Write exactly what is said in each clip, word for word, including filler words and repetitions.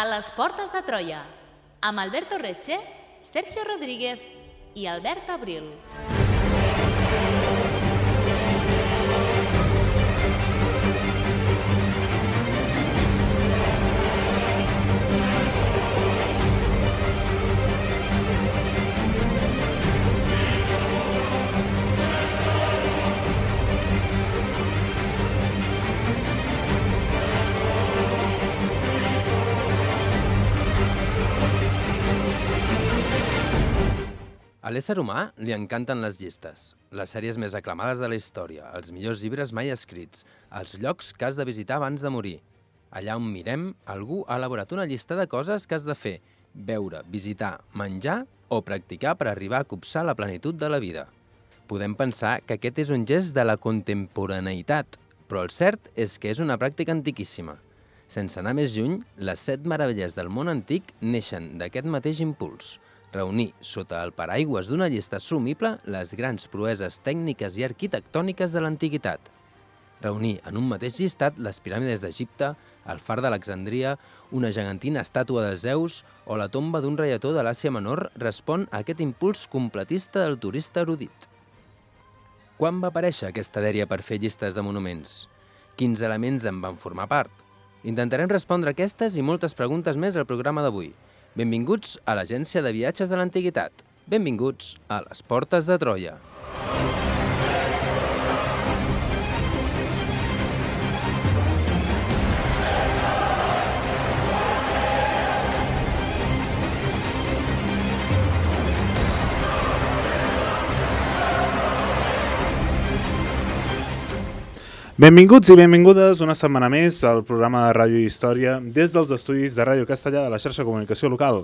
A les portes de Troia, amb Alberto Reche, Sergio Rodríguez i Albert Abril. A l'ésser humà li encanten les llistes, les sèries més aclamades de la història, els millors llibres mai escrits, els llocs que has de visitar abans de morir. Allà on mirem, algú ha elaborat una llista de coses que has de fer, veure, visitar, menjar o practicar per arribar a copsar la plenitud de la vida. Podem pensar que aquest és un gest de la contemporaneïtat, però el cert és que és una pràctica antiquíssima. Sense anar més lluny, les set meravelles del món antic neixen d'aquest mateix impuls. Reunir sota el paraigües d'una llista assumible les grans proeses tècniques i arquitectòniques de l'antiguitat. Reunir en un mateix llistat les piràmides d'Egipte, el far d'Alexandria, una gegantina estàtua de Zeus o la tomba d'un reietó de l'Àsia Menor respon a aquest impuls completista del turista erudit. Quan va aparèixer aquesta dèria per fer llistes de monuments? Quins elements en van formar part? Intentarem respondre aquestes i moltes preguntes més al programa d'avui. Benvinguts a l'Agència de Viatges de l'Antiguitat. Benvinguts a les Portes de Troia. Benvinguts i benvingudes una setmana més al programa de Ràdio i Història des dels estudis de Ràdio Castellà de la xarxa de comunicació local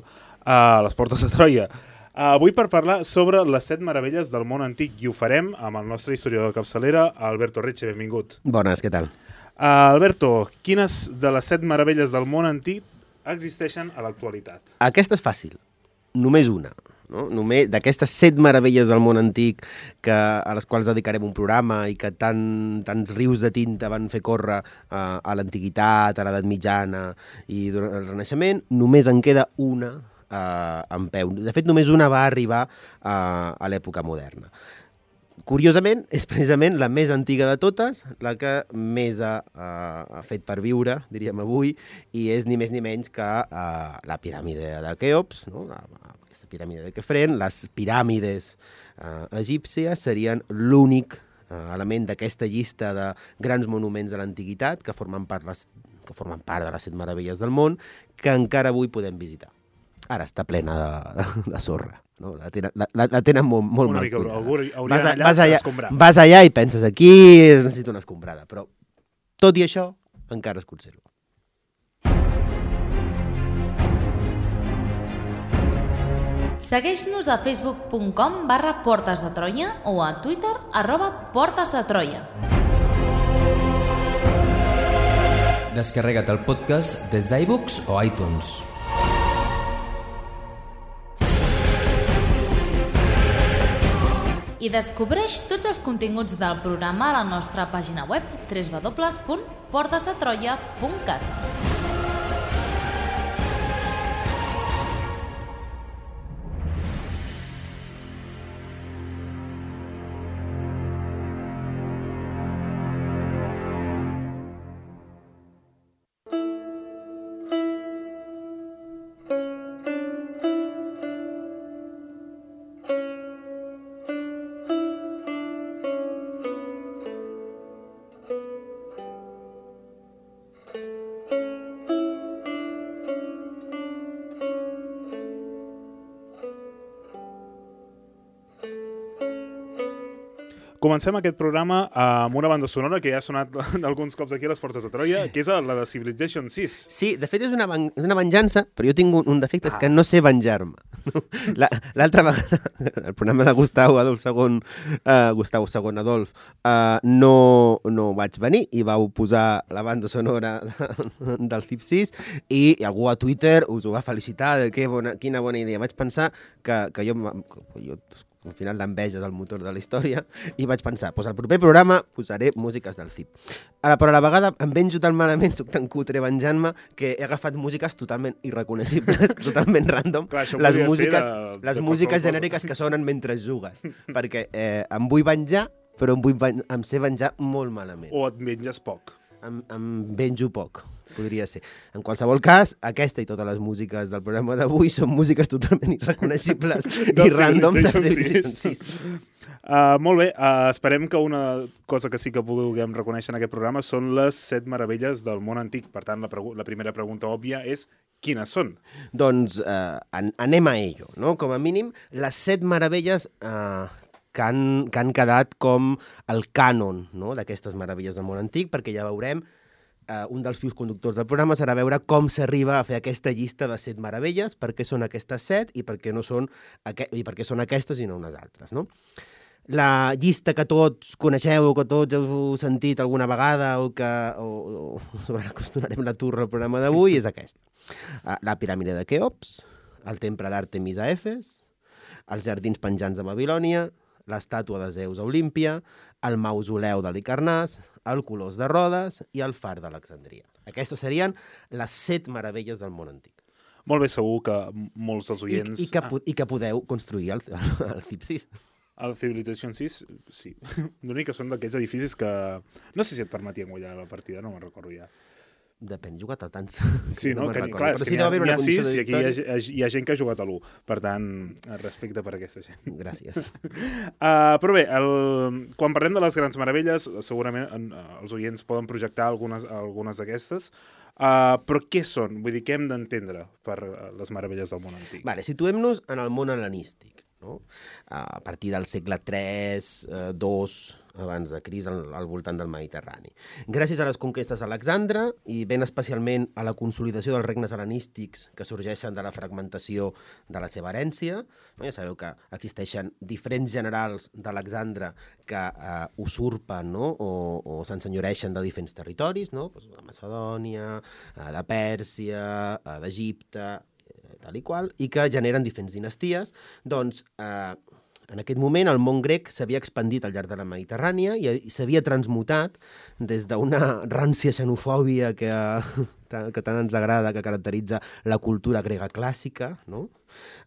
a les Portes de Troia. Avui per parlar sobre les set meravelles del món antic i ho farem amb el nostre historiador de capçalera, Alberto Reche. Benvingut. Bones, què tal? Uh, Alberto, quines de les set meravelles del món antic existeixen a l'actualitat? Aquesta és fàcil, només una. No? Només d'aquestes set meravelles del món antic que, a les quals dedicarem un programa i que tant, tants rius de tinta van fer córrer uh, a l'antiguitat, a l'edat mitjana i durant el Renaixement, només en queda una uh, en peu. De fet, només una va arribar uh, a l'època moderna. Curiosament, és precisament la més antiga de totes, la que més ha, uh, ha fet per viure, diríem avui, i és ni més ni menys que uh, la piràmide de Keops, no? la, aquesta piràmide de Kefren, les piràmides uh, egípcies serien l'únic uh, element d'aquesta llista de grans monuments de l'antiguitat que formen part, les, que formen part de les set meravelles del món, que encara avui podem visitar. Ara està plena de, de, de sorra. No? La, tenen, la, la tenen molt, molt una mal mica, cuidada. Algú Vas, allà vas, allà, escombrar. vas allà i penses aquí necessito una escombrada, però tot i això encara es conserva. Segueix-nos a facebook punt com barra Portes de Troia o a Twitter arroba Portes de Troia. Descarrega't el podcast des d'iBooks o iTunes. I descobreix tots els continguts del programa a la nostra pàgina web w w w punt portes de troia punt cat. Comencem aquest programa amb una banda sonora que ja ha sonat alguns cops aquí a les Portes de Troia, que és la de Civilization sis. Sí, de fet és una, ven és una venjança, però jo tinc un, un defecte, ah. és que no sé venjar-me. L'altra vegada, el programa de Gustau Adolf segon, uh, Gustau segon Adolf, uh, no, no vaig venir i vau posar la banda sonora de, del C I P sis i algú a Twitter us ho va felicitar de que bona, quina bona idea. Vaig pensar que, que jo, que jo al final l'enveja del motor de la història, i vaig pensar, doncs al proper programa posaré músiques del C I P. Ara, però a la vegada em venjo tan malament, soc tan cutre venjant-me, que he agafat músiques totalment irreconeixibles, totalment random, Clar, les músiques, de, les de músiques genèriques que sonen mentre jugues, perquè eh, em vull venjar, però em, vull ven em sé venjar molt malament. O et menges poc. Em, em venjo poc, podria ser. En qualsevol cas, aquesta i totes les músiques del programa d'avui són músiques totalment irreconeixibles i random de Civilization sis. Uh, molt bé, uh, esperem que una cosa que sí que puguem reconèixer en aquest programa són les set meravelles del món antic. Per tant, la, la primera pregunta òbvia és quines són? Doncs uh, an anem a ello, no? Com a mínim, les set meravelles uh, que han, que han quedat com el cànon, no?, d'aquestes meravelles del món antic, perquè ja veurem, eh, un dels fils conductors del programa serà veure com s'arriba a fer aquesta llista de set meravelles, per què són aquestes set i per què, no són, i per què són aquestes i no unes altres, no? La llista que tots coneixeu o que tots heu sentit alguna vegada o que o, o sobre la que us donarem la turra al programa d'avui és aquesta. La piràmide de Keops, el temple d'Àrtemis a Efes, els jardins penjants de Babilònia, l'estàtua de Zeus a Olímpia, el mausoleu de l'Icarnàs, el Colós de Rodes i el far d'Alexandria. Aquestes serien les set meravelles del món antic. Molt bé, segur que molts dels oients... I, i, que, ah. i que podeu construir el, el C I P sis. El Civilization sis, sí. L'únic que són d'aquells edificis que... No sé si et permetien guanyar la partida, no me'n recordo ja. Depèn, he jugat a tants. Sí, no? no Que, recordo. clar, Però és sí que n'hi ha, una ha sis i aquí hi victòria. ha, hi ha gent que ha jugat a l'u. Per tant, respecte per aquesta gent. Gràcies. Uh, però bé, el... quan parlem de les grans meravelles, segurament en, uh, els oients poden projectar algunes, algunes d'aquestes, uh, però què són? Vull dir, què hem d'entendre per uh, les meravelles del món antic? Vale, situem-nos en el món hel·lenístic, no? A partir del segle tres, eh, dos, abans de Crist, al, al voltant del Mediterrani. Gràcies a les conquestes d'Alexandre i ben especialment a la consolidació dels regnes hel·lenístics que sorgeixen de la fragmentació de la seva herència, no? Ja sabeu que existeixen diferents generals d'Alexandre que eh, usurpen, no? o, o s'ensenyoreixen de diferents territoris, no? Pues de Macedònia, eh, de Pèrsia, eh, d'Egipte, tal i qual, i que generen diferents dinasties, doncs eh, en aquest moment el món grec s'havia expandit al llarg de la Mediterrània i, i s'havia transmutat des d'una rància xenofòbia que, que tant ens agrada, que caracteritza la cultura grega clàssica, no?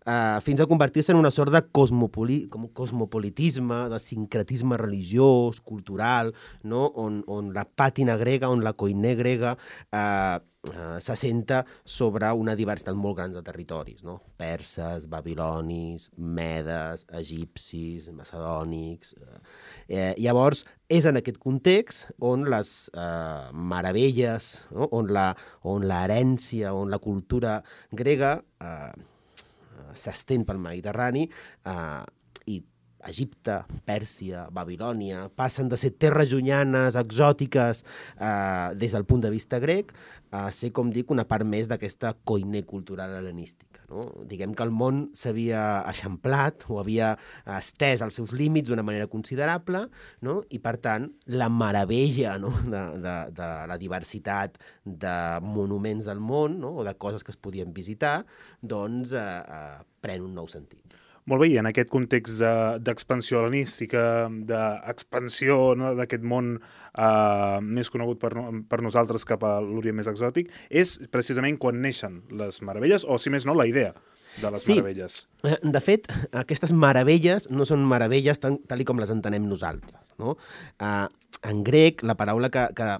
Uh, fins a convertir-se en una sort de cosmopoli com cosmopolitisme, de sincretisme religiós, cultural, no? on, on la pàtina grega, on la koiné grega uh, uh, s'assenta sobre una diversitat molt gran de territoris, no? Perses, babilonis, medes, egipcis, macedònics... Uh, eh, llavors, és en aquest context on les uh, meravelles, no? on la, on l'herència, on la cultura grega... Uh, s'estén pel Mediterrani eh, i Egipte, Pèrsia, Babilònia, passen de ser terres llunyanes, exòtiques, eh, des del punt de vista grec, a ser, com dic, una part més d'aquesta koiné cultural hel·lenística. No? Diguem que el món s'havia eixamplat o havia estès els seus límits d'una manera considerable, no? I, per tant, la meravella, no? de, de, de la diversitat de monuments del món, no? O de coses que es podien visitar, doncs eh, eh, pren un nou sentit. Molt bé, i en aquest context d'expansió de, hel·lenística, d'expansió, no, d'aquest món eh, més conegut per, per nosaltres cap a l'Orient més exòtic, és precisament quan neixen les meravelles, o si més no, la idea de les sí. meravelles. De fet, aquestes meravelles no són meravelles tal, tal com les entenem nosaltres. No? Eh, en grec, la paraula que... que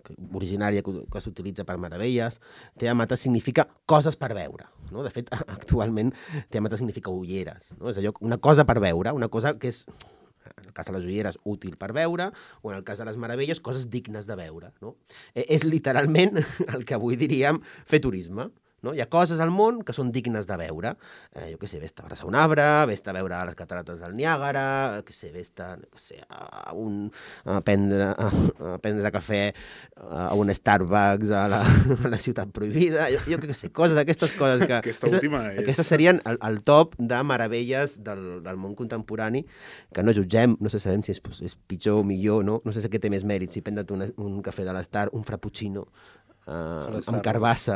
originària que, que s'utilitza per meravelles, teamata significa coses per veure. No? De fet, actualment, teamata significa ulleres. No? És allò, una cosa per veure, una cosa que és, en el cas de les ulleres, útil per veure, o en el cas de les meravelles, coses dignes de veure. No? Eh, és literalment el que avui diríem fer turisme. no? Hi ha coses al món que són dignes de veure. Eh, jo què sé, vés-te a abraçar un arbre, vés-te a veure les catarates del Niàgara, què sé, vés-te què sé, a, un, a, prendre, a, a prendre cafè a un Starbucks a la, a la ciutat prohibida, jo, jo què sé, coses, aquestes coses que... Aquesta última és... Aquestes serien el, el top de meravelles del, del món contemporani, que no jutgem, no sé, sabem si és, és pitjor o millor, no? No sé si què té més mèrit, si prendre't un, un cafè de l'Star, un frappuccino, Uh, amb carbassa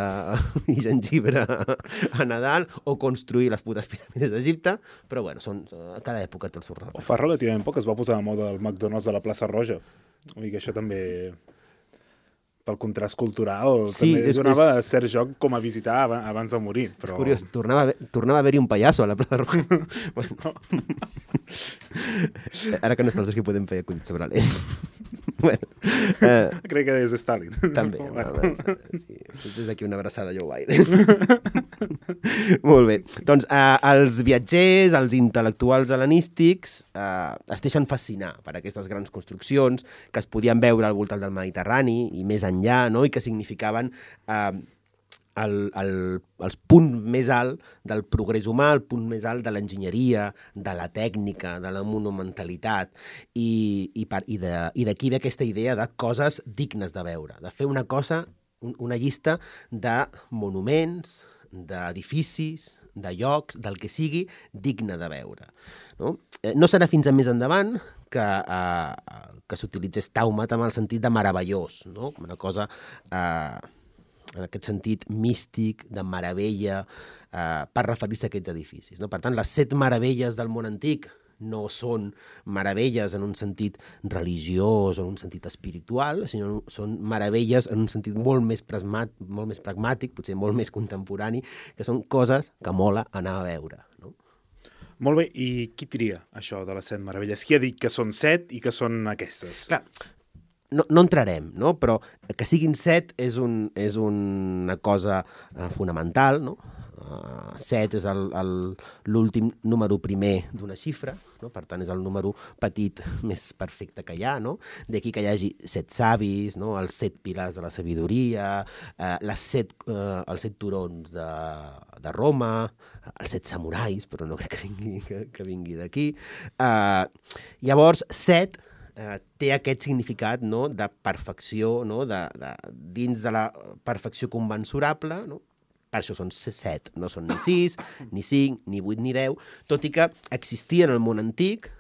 i gengibre a Nadal, o construir les putes piràmides d'Egipte, però bueno, són, a cada època té el seu raó. Fa relativament poc es va posar de moda el McDonald's de la plaça Roja. Vull dir que això també, pel contrast cultural, sí, també és, donava és... cert joc com a visitar abans de morir. Però... És curiós, tornava a, tornava a haver-hi un pallasso a la plaça Roja. Bueno. Ara que no està els que podem fer acollits sobre l'ell. Bueno, eh, crec que és Stalin. També, bueno. Sí. Des d'aquí una abraçada a Joe Biden. Molt bé. Doncs eh, els viatgers, els intel·lectuals hel·lenístics eh, es deixen fascinar per aquestes grans construccions que es podien veure al voltant del Mediterrani i més enllà, no? I que significaven eh, el, el, els punts més alt del progrés humà, el punt més alt de l'enginyeria, de la tècnica, de la monumentalitat, i, i, per, i d'aquí ve aquesta idea de coses dignes de veure, de fer una cosa, un, una llista de monuments, d'edificis, de llocs, del que sigui, digne de veure. No, eh, no serà fins a més endavant que, eh, que s'utilitzés tàumat amb el sentit de meravellós, no? Una cosa... Eh, en aquest sentit místic, de meravella, eh, per referir-se a aquests edificis. No? Per tant, les set meravelles del món antic no són meravelles en un sentit religiós o en un sentit espiritual, sinó són meravelles en un sentit molt més, pragmàtic, molt més pragmàtic, potser molt més contemporani, que són coses que mola anar a veure. No? Molt bé, i qui tria això de les set meravelles? Qui ha dit que són set i que són aquestes? Clar, No, no entrarem, no? Però que siguin set és, un, és una cosa uh, fonamental, no? Uh, set és l'últim número primer d'una xifra, no? Per tant és el número petit més perfecte que hi ha, no? D'aquí que hi hagi set savis, no? Els set pilars de la sabidoria, uh, les set, uh, els set turons de, de Roma, els set samurais, però no crec que vingui, que, que vingui d'aquí. Uh, llavors, set... Eh, té aquest significat, no?, de perfecció, no?, de, de, dins de la perfecció conmensurable, no? Per això són set, no són ni sis, ni cinc, ni vuit, ni deu, tot i que existien al món antic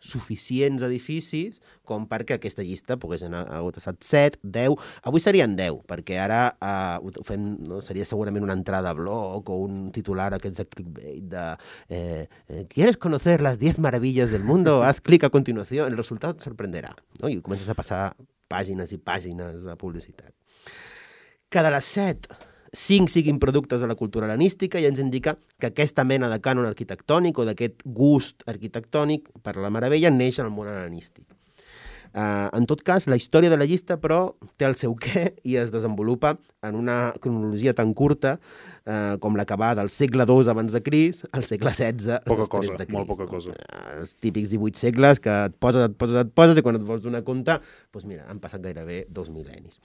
suficients edificis com perquè aquesta llista pogués anar a hagut estat set, deu, avui serien deu, perquè ara eh, ho fem, no? Seria segurament una entrada a blog o un titular aquests de clickbait de eh, eh, ¿quieres conocer las diez maravillas del mundo? Haz clic a continuació, el resultat et sorprenderà, no? I comences a passar pàgines i pàgines de publicitat. Que de les set, cinc siguin productes de la cultura hel·lenística i ens indica que aquesta mena de cànon arquitectònic o d'aquest gust arquitectònic per la meravella neix en el món hel·lenístic. Uh, en tot cas, la història de la llista, però, té el seu què i es desenvolupa en una cronologia tan curta uh, com la que va del segle dos abans de Crist al segle setze poca després cosa, de Crist. molt poca cosa. Uh, els típics divuit segles que et poses, et poses, et poses i quan et vols donar compte, doncs mira, han passat gairebé dos mil·lennis.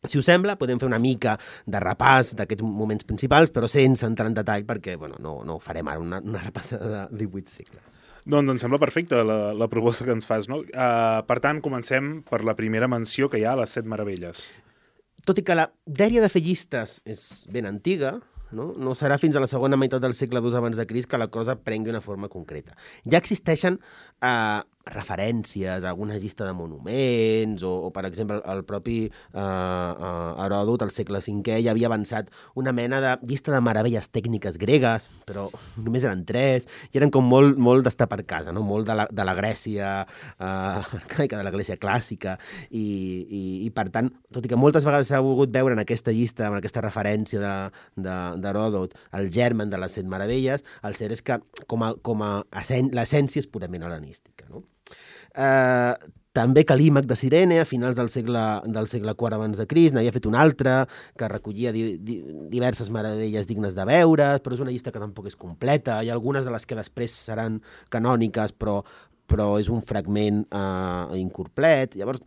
Si us sembla, podem fer una mica de repàs d'aquests moments principals, però sense entrar en detall, perquè bueno, no, no farem ara una, una repassada de divuit segles. Doncs em sembla perfecta la, la proposta que ens fas, no? Uh, per tant, comencem per la primera menció que hi ha a les set meravelles. Tot i que la dèria de fer llistes és ben antiga, no? No serà fins a la segona meitat del segle dos abans de Crist que la cosa prengui una forma concreta. Ja existeixen eh, referències a alguna llista de monuments o, o per exemple, el propi eh, eh, Heròdot, al segle cinquè, ja havia avançat una mena de llista de meravelles tècniques gregues, però només eren tres, i eren com molt, molt d'estar per casa, no? Molt de la, de la Grècia, eh, de la Grècia clàssica, i, i, i per tant, tot i que moltes vegades s'ha volgut veure en aquesta llista, en aquesta referència de, de, d'Heròdot, el germen de les set meravelles, el cert és que com a, com a l'essència és purament hel·lenística, no? Eh, també Calímac de Cirene, a finals del segle, del segle quart abans de Crist, n'havia fet un altre que recollia di, di, diverses meravelles dignes de veure, però és una llista que tampoc és completa. Hi ha algunes de les que després seran canòniques, però, però és un fragment eh, incomplet. Llavors,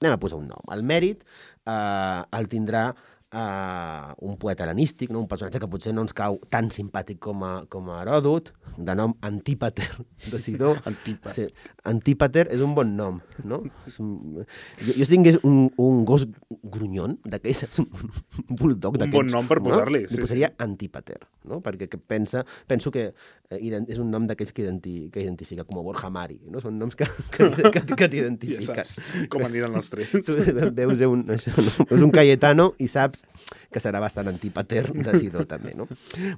anem a posar un nom. El mèrit eh, el tindrà uh, un poeta hel·lenístic, no? Un personatge que potser no ens cau tan simpàtic com a, com a Heròdot, de nom Antípater de Sidó. Antípater. Sí, Antípater és un bon nom, no? És un... Jo, jo si tingués un, un gos grunyon d'aquells, un bulldog d'aquells... Un bon nom per posar-li. No? Li posaria Antípater, no? Perquè que pensa, penso que eh, és un nom d'aquells que, identi, que identifica, com Borja Mari, no? Són noms que, que, que, que t'identifiquen. Ja saps com aniran els trets. Tu veus un, això, no? Veus un Cayetano i saps que serà bastant Antípater de Sidó, també, no?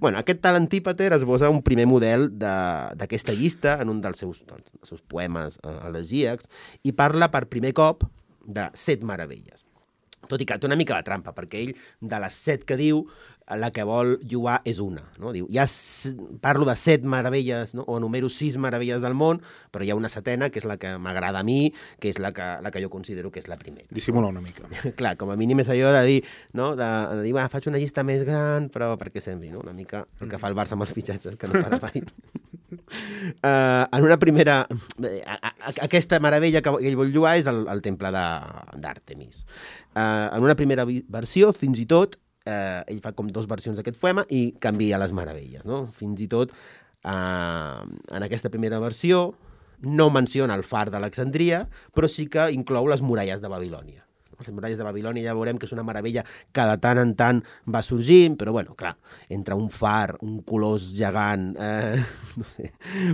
Bueno, aquest tal Antípater esbossa un primer model d'aquesta llista en un dels seus, dels seus poemes eh, elegíacs i parla per primer cop de set meravelles. Tot i que té una mica de trampa, perquè ell, de les set que diu, la que vol lloar és una. No? Diu, ja parlo de set meravelles, no? O numero sis meravelles del món, però hi ha una setena, que és la que m'agrada a mi, que és la que, la que jo considero que és la primera. Dissimula una mica. Clar, com a mínim és allò de dir, no? de, de dir, va, faig una llista més gran, però perquè sembli, no? Una mica el que fa el Barça amb els fitxatges, que no fa la Bayern. Uh, en una primera... A, a, a, aquesta meravella que ell vol lloar és el, el temple d'Àrtemis. Uh, en una primera versió, fins i tot, uh, ell fa com dos versions d'aquest poema i canvia les meravelles, no? Fins i tot, uh, en aquesta primera versió, no menciona el far d'Alexandria, però sí que inclou les muralles de Babilònia. Les muralles de Babilònia ja veurem que és una meravella que de tant en tant va sorgint, però bueno, clar, entre un far, un colós gegant, eh, no sé,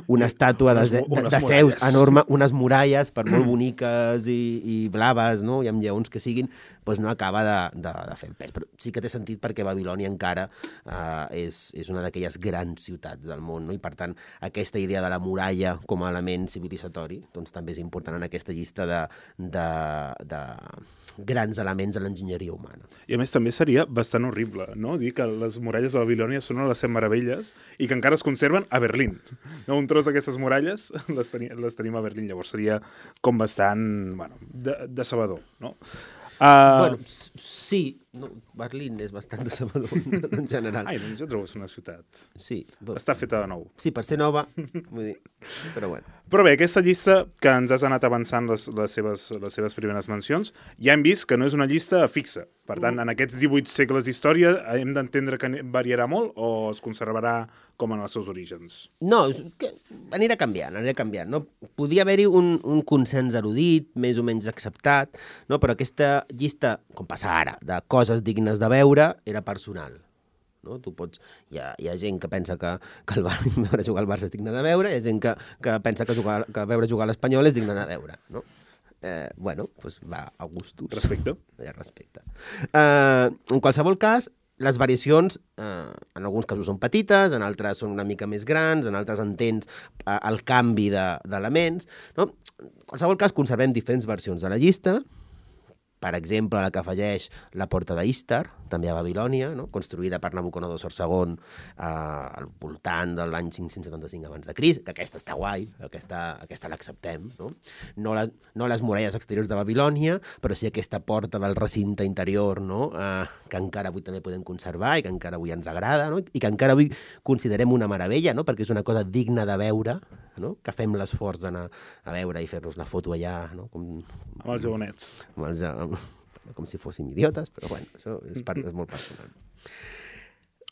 una estàtua de, de, de, de Zeus enorme, unes muralles per molt boniques i, i blaves, no? I amb lleons que siguin, doncs no acaba de, de, de fer el pes. Però sí que té sentit perquè Babilònia encara eh, és, és una d'aquelles grans ciutats del món, no? I per tant aquesta idea de la muralla com a element civilitzatori doncs també és important en aquesta llista de, de, de grans elements de l'enginyeria humana. I a més també seria bastant horrible, no? Dir que les muralles de Babilònia són les set meravelles i que encara es conserven a Berlín. No? Un tros d'aquestes muralles les, teni les tenim a Berlín, llavors seria com bastant, bueno, de decebedor, no? Uh... Bueno, sí, no, Berlín és bastant decebedor en general. Ai, doncs jo trobo que és una ciutat. Sí. Però... Està feta de nou. Sí, per ser nova, vull dir, però bueno. Però bé, aquesta llista que ens has anat avançant les, les, seves, les seves primeres mencions, ja hem vist que no és una llista fixa. Per tant, en aquests divuit segles d'història hem d'entendre que variarà molt o es conservarà com en els seus orígens? No, que anirà canviant, anirà canviant. No? Podia haver-hi un, un consens erudit, més o menys acceptat, no? Però aquesta llista, com passa ara, de coses dignes de veure, era personal. No? Tu pots... Hi ha, hi ha gent que pensa que, que el Barça, veure jugar al Barça és digne de veure, hi ha gent que, que pensa que, jugar, que veure jugar a l'Espanyol és digne de veure, no? Eh, bueno, doncs va a gustos. Respecte. Ja, respecte. Eh, en qualsevol cas, les variacions, eh, en alguns casos són petites, en altres són una mica més grans, en altres entens eh, el canvi d'elements, no? En qualsevol cas, conservem diferents versions de la llista. Per exemple, la que afegeix la porta d'Istar, també a Babilònia, no? Construïda per Nabucodonosor segon eh, al voltant de l'any cinc-cents setanta-cinc abans de Crist, que aquesta està guai, aquesta, aquesta l'acceptem. No? No, la, no les muralles exteriors de Babilònia, però sí aquesta porta del recinte interior, no? eh, que encara avui també podem conservar i que encara avui ens agrada, no? I que encara avui considerem una meravella, no? Perquè és una cosa digna de veure, no? Que fem l'esforç d'anar a veure i fer-nos la foto allà, no? Com, amb els jagonets. Amb els, amb, com si fóssim idiotes, però bueno, això és, part, és molt personal.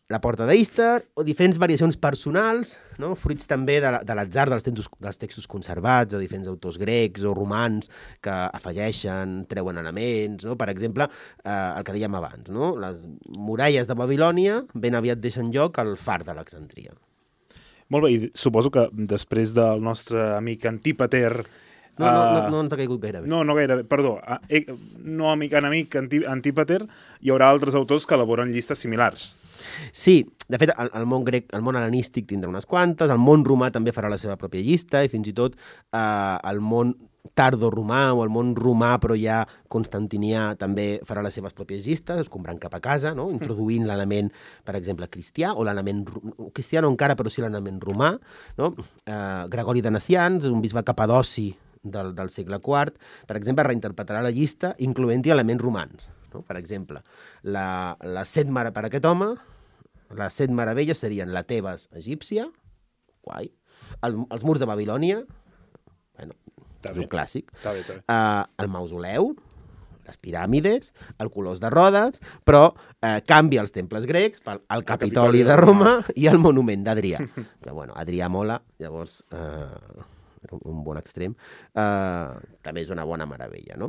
La porta d'Istar, o diferents variacions personals, no? Fruits també de l'atzar dels, dels textos conservats, de diferents autors grecs o romans que afegeixen, treuen elements, no? Per exemple, eh, el que dèiem abans, no? Les muralles de Babilònia ben aviat deixen lloc al far d'Alexandria. Molt bé, i suposo que després del nostre amic Antípater... No, no, no, no ens ha caigut gaire bé. No, no gaire bé, perdó. Eh, no amic enemic Antípater, hi haurà altres autors que elaboren llistes similars. Sí, de fet, el, el món grec, el món hel·lenístic tindrà unes quantes, el món romà també farà la seva pròpia llista, i fins i tot eh, el món tardo-romà o el món romà, però ja constantinià, també farà les seves pròpies llistes, es comprant cap a casa, no? Introduint l'element, per exemple, cristià, o l'element cristià no encara, però sí l'element romà, no? Eh, Gregori de Nacians, un bisbe capadoci del, del segle quart, per exemple, reinterpretarà la llista incloent-hi elements romans. No? Per exemple, la, la set mare per aquest home, les set meravelles serien la Tebes egípcia, guai, el, els murs de Babilònia, bueno, és un clàssic, Està bé, està bé. Uh, el mausoleu, les piràmides, el Colós de Rodes, però eh, canvia els temples grecs pel el Capitoli de Roma i el monument d'Adrià. Que, bueno, Adrià mola, llavors... Eh, un bon extrem, uh, també és una bona meravella, no?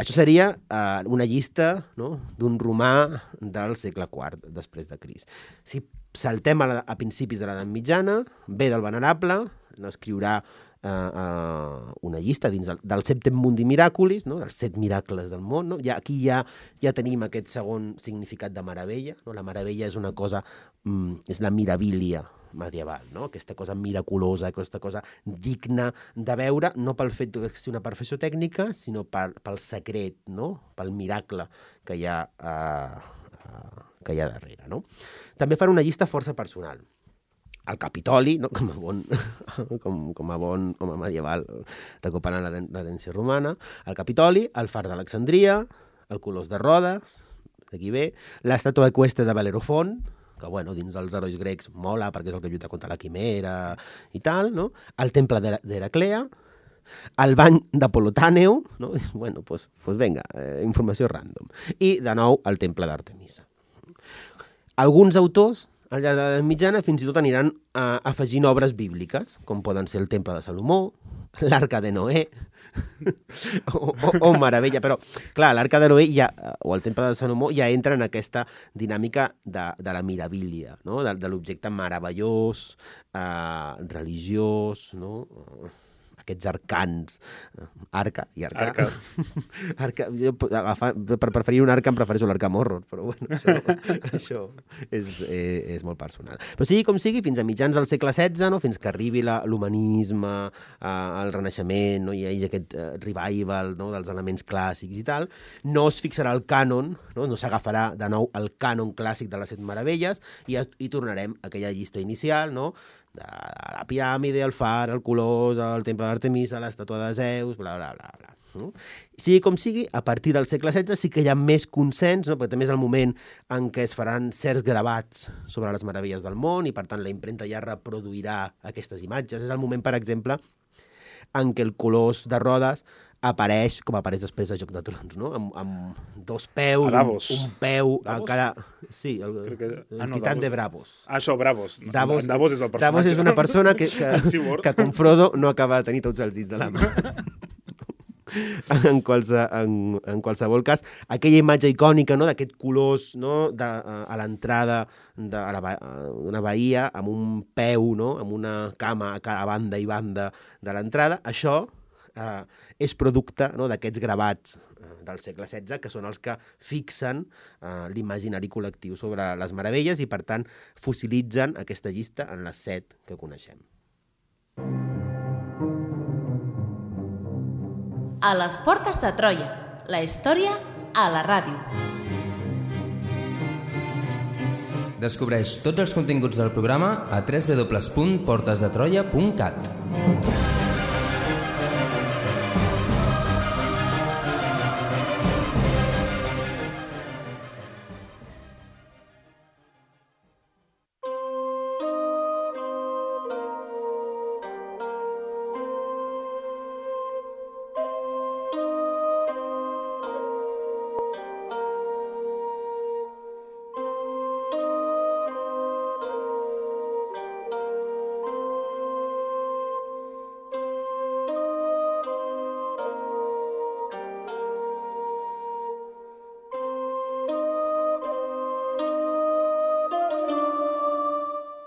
Això seria uh, una llista, no?, d'un romà del segle quart després de Crist. Si saltem a, la, a principis de l'edat mitjana, ve del Venerable, n'escriurà uh, uh, una llista dins del, del Septem Mundi Miraculis, no?, dels set miracles del món, no? Ja, aquí ja, ja tenim aquest segon significat de meravella, no? La meravella és una cosa, mm, és la mirabilia medieval, no? Aquesta cosa miraculosa, aquesta cosa digna de veure, no pel fet de ser una perfecció tècnica, sinó per, pel secret, no? Pel miracle que hi ha, uh, uh, que hi ha darrere, no? També faré una llista força personal. El Capitoli, no? com, a bon, com, com a bon home medieval, recuperant l'herència romana, el Capitoli, el Far d'Alexandria, el Colós de Rodes, d'aquí ve, l'estàtua eqüestre de Bel·lerofont, que, bueno, dins dels herois grecs mola perquè és el que lluita contra la quimera i tal, no? El temple d'Heraclea, el bany d'Apolotàneu, no? Bueno, doncs, pues, vinga, eh, informació random. I, de nou, el temple d'Artemisa. Alguns autors, al llarg de l'edat mitjana, fins i tot aniran eh, afegint obres bíbliques, com poden ser el temple de Salomó, l'Arca de Noé, o, o, o meravella, però clar, l'Arca de Noé ja, o el temple de Salomó ja entra en aquesta dinàmica de, de la mirabilia, no? de, de l'objecte meravellós, eh, religiós, no? Aquests arcans, arca i arca. Arca. arca jo, agafa, per preferir un arca em prefereixo l'Arkham Horror, però bueno, això, això és, eh, és molt personal. Però sigui com sigui, fins a mitjans del segle setze, no? Fins que arribi l'humanisme, eh, el Renaixement, no? Hi ha aquest eh, revival, no? Dels elements clàssics i tal, no es fixarà el cànon, no, no s'agafarà de nou el cànon clàssic de les set meravelles i, i tornarem a aquella llista inicial, no? De la piràmide, el far, el colós, el temple d'Artemisa, l'estàtua de Zeus, bla, bla, bla, bla. No? Sigui com sigui, a partir del segle setze sí que hi ha més consens, no? Perquè també és el moment en què es faran certs gravats sobre les meravelles del món i, per tant, la impremta ja reproduirà aquestes imatges. És el moment, per exemple, en què el colós de Rodes apareix, com apareix després de Joc de Trons, no? Amb, amb dos peus, un, un peu a cada... Sí, el, que... el ah, no, titán Davos. De Bravos. Ah, això, Bravos. Davos, Davos és el personatge. Davos és una persona que, que, que com Frodo no acaba de tenir tots els dits de la mà. en, qualse, en, en qualsevol cas, aquella imatge icònica, no?, d'aquest colós, no?, de, a l'entrada d'una bahia, amb un peu, no?, amb una cama a cada banda i banda de l'entrada, això Uh, és producte, no?, d'aquests gravats uh, del segle setze, que són els que fixen uh, l'imaginari col·lectiu sobre les meravelles i, per tant, fossilitzen aquesta llista en les set que coneixem. A les portes de Troia, la història a la ràdio. Descobreix tots els continguts del programa a w w w punt portes de troia punt cat.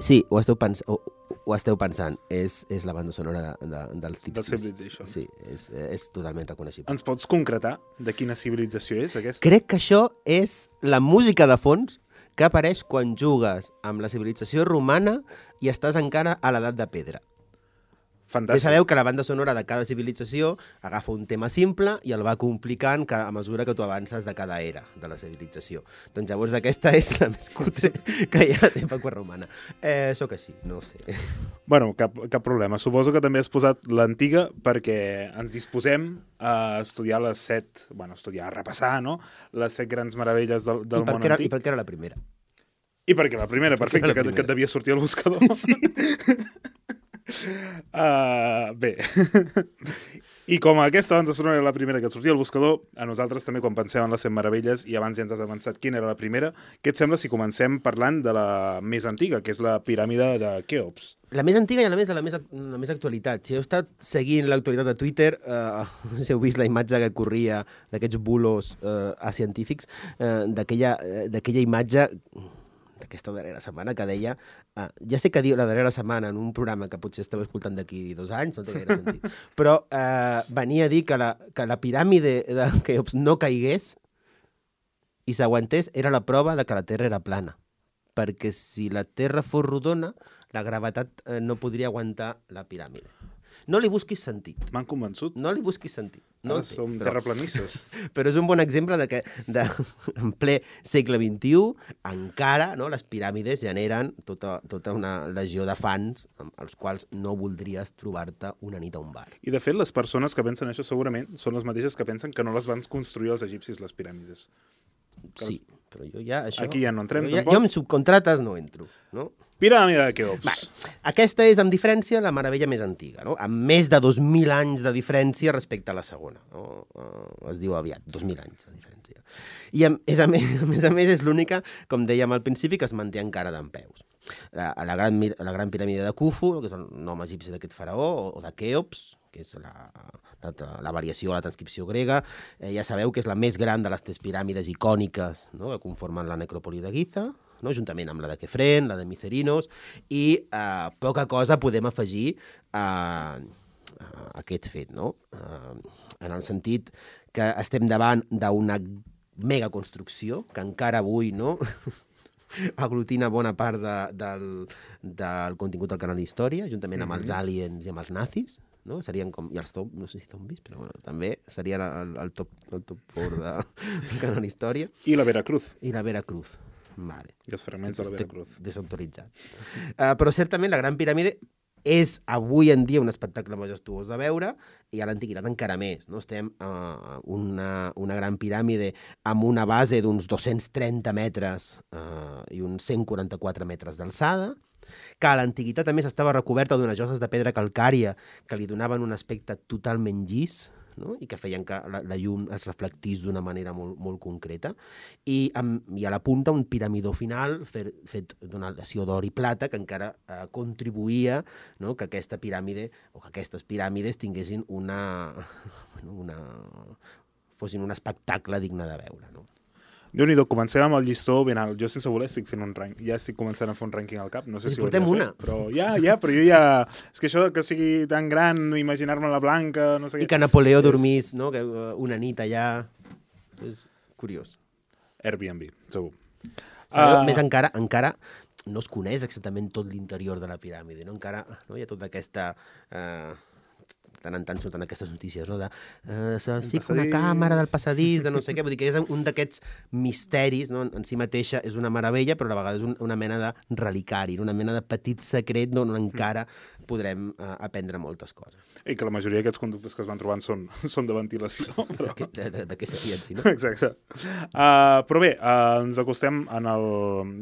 Sí, ho esteu, pens ho, ho esteu pensant. És, és la banda sonora de, de, del Tipsis. Del Civilization. Sí, és, és totalment reconeixible. Ens pots concretar de quina civilització és aquesta? Crec que això és la música de fons que apareix quan jugues amb la civilització romana i estàs encara a l'edat de pedra. Fantàstic. Ja sabeu que la banda sonora de cada civilització agafa un tema simple i el va complicant a mesura que tu avances de cada era de la civilització. Doncs llavors aquesta és la més cutre que hi ha d'època romana. Eh, soc així, no ho sé. Bueno, cap, cap problema. Suposo que també has posat l'antiga perquè ens disposem a estudiar les set, bueno, estudiar, a repassar, no?, les set grans meravelles del, del món era, antic. I per què era la primera? I perquè la primera, perfecte, la primera. Que, que et devia sortir al buscador. Sí. Uh, bé, I com aquesta banda sonora era la primera que sortia al buscador, a nosaltres també quan pensem en les cent meravelles, i abans ja ens has avançat quina era la primera, què et sembla si comencem parlant de la més antiga, que és la piràmide de Keops? La més antiga i a més de la més, la més actualitat. Si heu estat seguint l'actualitat de Twitter, eh, si heu vist la imatge que corria d'aquests bulos eh, científics, eh, d'aquella d'aquella imatge d'aquesta darrera setmana que deia, uh, ja sé que diu la darrera setmana en un programa que potser esteu escoltant d'aquí dos anys, no té gaire sentit, però uh, venia a dir que la, que la piràmide de Keops no caigués i s'aguantés era la prova de que la Terra era plana, perquè si la Terra fos rodona, la gravetat uh, no podria aguantar la piràmide. No li busquis sentit. M'han convençut. No li busquis sentit. No Ara som però, terraplanistes. Però és un bon exemple de que de, en ple segle vint-i-u encara no, les piràmides generen tota, tota una legió de fans als quals no voldries trobar-te una nit a un bar. I de fet les persones que pensen això segurament són les mateixes que pensen que no les van construir els egipcis les piràmides. Sí, però jo ja això... Aquí ja no entrem, jo, ja, tampoc. jo amb subcontrates no entro, no? Piràmide de Keops. Va, aquesta és, amb diferència, la meravella més antiga, no? Amb més de dos mil anys de diferència respecte a la segona. No? Uh, es diu aviat, dos mil anys de diferència. I a, és a, més, a més a més és l'única, com dèiem al principi, que es manté encara dempeus. La, la, gran, la gran piràmide de Khufu, que és el nom egipci d'aquest faraó, o, o de Keops, que és la, la, la variació a la transcripció grega, eh, ja sabeu que és la més gran de les tres piràmides icòniques, no? Que conformen la necròpoli de Giza, no? Juntament amb la de Kefren, la de Micerinos, i eh, poca cosa podem afegir a, a aquest fet, no? Eh, en el sentit que estem davant d'una megaconstrucció que encara avui no aglutina bona part de, del, del contingut del canal d'història, juntament amb els aliens i amb els nazis, no? Serien com, i els top, no sé si zombis, però bueno, també serien el, el top, el top quatre de, del canal d'història. I la Veracruz. I la Veracruz. Vale. I els fragments de la Veracruz. Desautoritzat. Uh, però certament la Gran Piràmide és avui en dia un espectacle majestuós de veure i a l'antiguitat encara més. No? Estem a uh, una, una gran piràmide amb una base d'uns dos-cents trenta metres uh, i uns cent quaranta-quatre metres d'alçada, que a l'antiguitat a més estava recoberta d'unes lloses de pedra calcària que li donaven un aspecte totalment llis, no? I que feien que la, la llum es reflectís d'una manera molt, molt concreta, i, amb, i a la punta un piramidó final fet, fet d'una aleació d'or i plata que encara eh, contribuïa, no? Que aquesta piràmide o que aquestes piràmides tinguessin una, una fossin un espectacle digne de veure, no? Déu-n'hi-do, comencem amb el llistó ben alt. Jo sense voler estic fent un ranking, ja estic començant a fer un rànquing al cap, no sé si ho portem una. Fer, però ja, ja, però jo ja... És que això que sigui tan gran, imaginar-me la Blanca, no sé què... I que Napoleó és... dormís, no? Que, uh, una nit allà... Això és curiós. Airbnb, segur. Sabeu, Uh... més encara, encara no es coneix exactament tot l'interior de la piràmide, no? Encara no? Hi ha tota aquesta... Uh, tant en tant surten aquestes notícies, no? De uh, se'ls fica una càmera del passadís, de no sé què, vull dir que és un d'aquests misteris, no? En si mateixa és una meravella, però a la vegada és un, una mena de relicari, una mena de petit secret on encara podrem uh, aprendre moltes coses. I que la majoria d'aquests conductes que es van trobant són, són de ventilació. Però... De, de, de, de què serien, si no? Exacte. Uh, però bé, uh, ens acostem en el,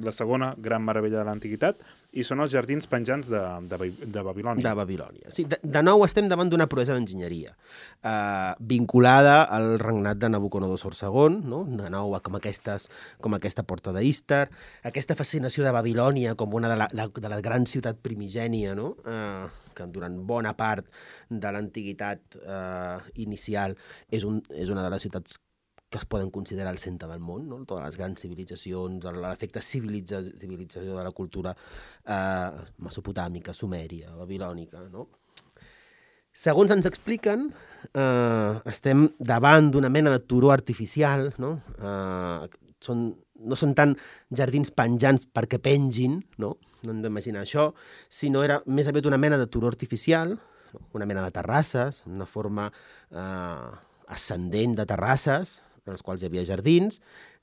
la segona gran meravella de l'antiguitat, i són els jardins penjants de, de, de Babilònia. De Babilònia. Sí, de, de nou estem davant d'una proesa d'enginyeria eh, vinculada al regnat de Nabucodonosor segon, no? De nou com, aquestes, com aquesta porta d'Istar, aquesta fascinació de Babilònia com una de la, la, de la gran ciutat primigènia, no? Eh, que durant bona part de l'antiguitat eh, inicial és, un, és una de les ciutats que es poden considerar el centre del món, no? Totes les grans civilitzacions, l'efecte civilitza, civilització de la cultura eh, mesopotàmica, sumèria, babilònica, no? Segons ens expliquen, eh, estem davant d'una mena de turó artificial, no? Eh, són, no són tant jardins penjants perquè pengin, no? No hem d'imaginar això, sinó era més aviat una mena de turó artificial, no? Una mena de terrasses, una forma eh, ascendent de terrasses, en els quals hi havia jardins,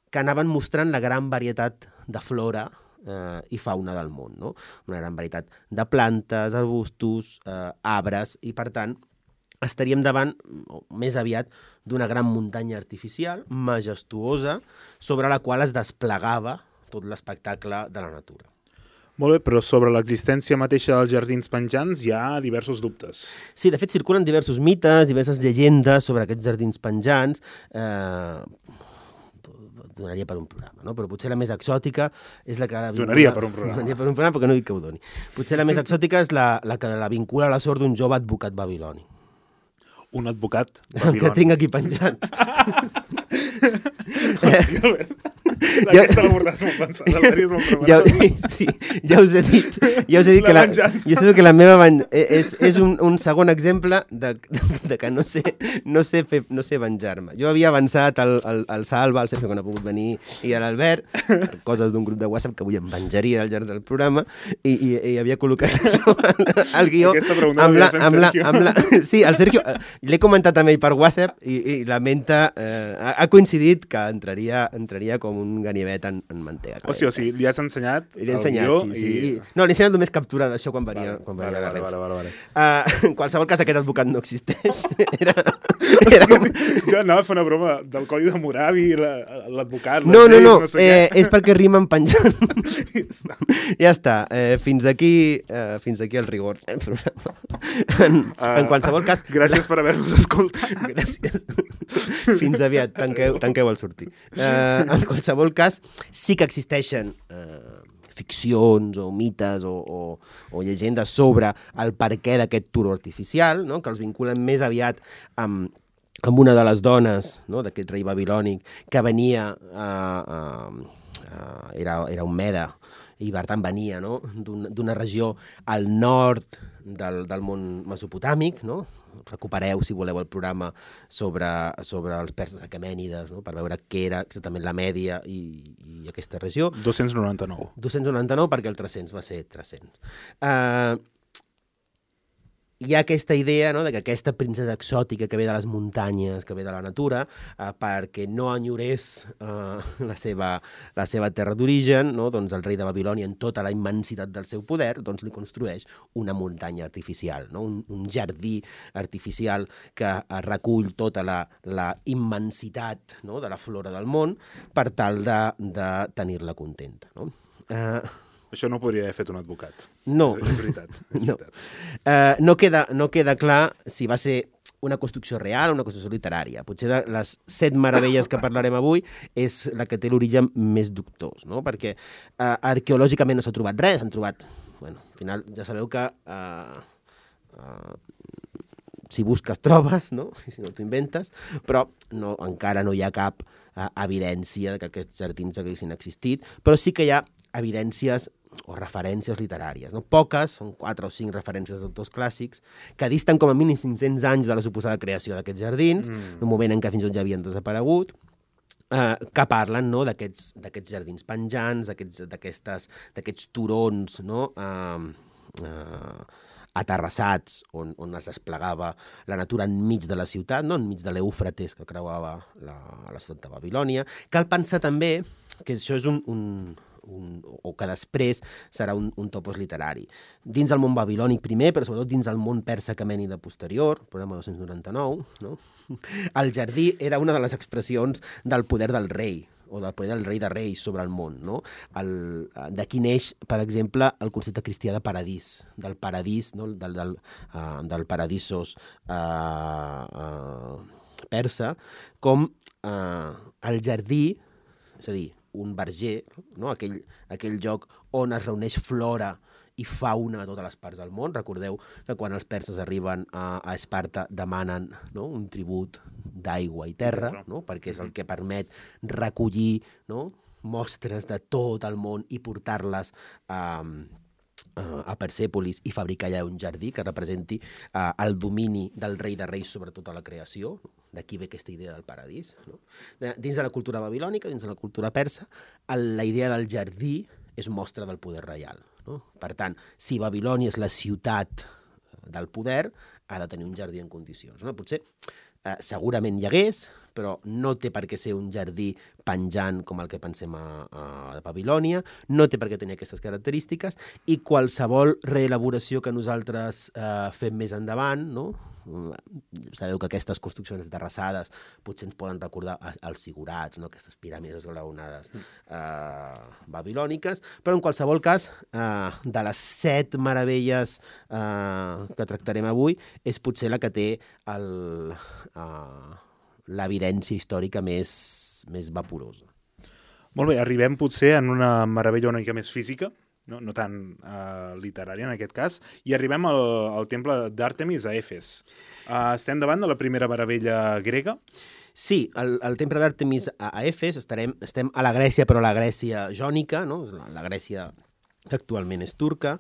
que anaven mostrant la gran varietat de flora eh, i fauna del món, no? Una gran varietat de plantes, arbustos, eh, arbres, i per tant estaríem davant, més aviat, d'una gran muntanya artificial, majestuosa, sobre la qual es desplegava tot l'espectacle de la natura. Molt bé, però sobre l'existència mateixa dels jardins penjants hi ha diversos dubtes. Sí, de fet circulen diversos mites, diverses llegendes sobre aquests jardins penjants. Eh, donaria per un programa, no? Però potser la més exòtica és la que... La vincula... Donaria per un programa. Donaria per un programa, perquè no dic que ho doni. Potser la més exòtica és la, la que la vincula a la sort d'un jove advocat babiloni. Un advocat babiloni. El que tinc aquí penjat. Hòstia, Albert. Aquesta l'abordes molt pensada, l'haries molt preparat. Ja, sí, ja us he dit, ja us he dit que la, ja sé que la meva ven, és, és un, un segon exemple de, de que no sé, no sé, fer, no sé venjar-me. Jo havia avançat al, al, al Salva, al Sergio, que no ha pogut venir, i a l'Albert, coses d'un grup de WhatsApp que avui em venjaria al llarg del programa, i, i, i havia col·locat això al, al guió. Aquesta pregunta amb la, amb la, Sergio. amb la, sí, el Sergio, l'he comentat amb ell per WhatsApp, i, i lamenta, eh, ha, ha coincidit que entraria, entraria com un ganivet en, en mantega. O sigui, o sigui, li has ensenyat Li he ensenyat, el guió sí, sí. i... No, li he ensenyat només captura d'això quan venia, Vale, quan venia vale, a la vale, Reus. vale, vale, vale. Uh, en qualsevol cas, aquest advocat no existeix. Era, era un... Jo anava a fer una broma del codi de Moravi, l'advocat, No, no, no, no sé eh, què. és perquè rimen penjant. Ja està. Ja està, eh, fins aquí eh, fins aquí el rigor. En, en qualsevol cas... Gràcies per haver-nos escoltat. Gràcies. Fins aviat, tanqueu, tanqueu el sortir. Eh, en qualsevol cas, sí que existeixen eh, ficcions o mites o, o, o llegendes sobre el perquè d'aquest turó artificial, no? Que els vinculen més aviat amb, amb una de les dones, no? D'aquest rei babilònic que venia, eh, eh, eh, era, era un meda, i per tant venia, no? d'una regió al nord del, del món mesopotàmic, no? Recupereu, si voleu, el programa sobre, sobre els perses aquemènides, no? Per veure què era exactament la Mèdia i, i aquesta regió. dos-cents noranta-nou. dos-cents noranta-nou perquè el tres-cents va ser tres-cents. Uh, hi ha aquesta idea, no?, de que aquesta princesa exòtica que ve de les muntanyes, que ve de la natura, eh, perquè no enyorés eh, la, seva, la seva terra d'origen, no?, doncs el rei de Babilònia, en tota la immensitat del seu poder, doncs li construeix una muntanya artificial, no?, un, un jardí artificial que eh, recull tota la, la immensitat, no?, de la flora del món per tal de, de tenir-la contenta, no? Eh... Això no ho podria haver fet un advocat. No. És veritat. És no. veritat. Uh, no, queda, no queda clar si va ser una construcció real o una construcció literària. Potser de les set meravelles que parlarem avui és la que té l'origen més dubtós, no? Perquè uh, arqueològicament no s'ha trobat res, s'han trobat... Bueno, al final ja sabeu que uh, uh, si busques trobes, no? I si no t'ho inventes, però no, encara no hi ha cap uh, evidència de que aquests jardins haguessin existit, però sí que hi ha evidències o referències literàries, no? Poques, són quatre o cinc referències d'autors clàssics, que disten com a mínim cinc-cents anys de la suposada creació d'aquests jardins, mm. un moment en què fins i tot ja havien desaparegut, eh, que parlen, no?, d'aquests d'aquests jardins penjants, d'aquests turons, no?, eh, eh, aterrassats, on, on es desplegava la natura enmig de la ciutat, no?, enmig de l'Eufrates que creuava la, la ciutat de Babilònia. Cal pensar també que això és un... un Un, o que després serà un, un topos literari. Dins el món babilònic primer, però sobretot dins el món persa aquemènida posterior, programa dos-cents noranta-nou, no? El jardí era una de les expressions del poder del rei, o del poder del rei de reis sobre el món, no? D'aquí neix, per exemple, el concepte cristià de paradís, del paradís, no? del, del, uh, del paradisos uh, uh, persa, com uh, el jardí, és a dir, un verger, no? aquell, aquell lloc on es reuneix flora i fauna a totes les parts del món. Recordeu que quan els perses arriben a, a Esparta demanen, no?, un tribut d'aigua i terra, no?, perquè és el que permet recollir, no?, mostres de tot el món i portar-les a, a Persèpolis i fabricar allà un jardí que representi uh, el domini del rei de reis sobre tota la creació. D'aquí ve aquesta idea del paradís, no? Dins de la cultura babilònica, dins de la cultura persa, la idea del jardí és mostra del poder reial, no? Per tant, si Babilònia és la ciutat del poder, ha de tenir un jardí en condicions, no? Potser eh, segurament hi hagués, però no té per què ser un jardí penjant com el que pensem a, a Babilònia, no té per què tenir aquestes característiques, i qualsevol reelaboració que nosaltres eh, fem més endavant, no?, sabeu que aquestes construccions terrassades potser ens poden recordar els zigurats, no? Aquestes piràmides esglaonades eh, babilòniques, però en qualsevol cas, eh, de les set meravelles eh, que tractarem avui, és potser la que té el, eh, l'evidència històrica més, més vaporosa. Molt bé, arribem potser en una meravella una mica més física, no, no tan uh, literària en aquest cas, i arribem al, al temple d'Àrtemis a Efes. Uh, estem davant de la primera meravella grega? Sí, el, el temple d'Àrtemis a, a Efes, estarem, estem a la Grècia, però la Grècia jònica, no? la, la Grècia que actualment és turca.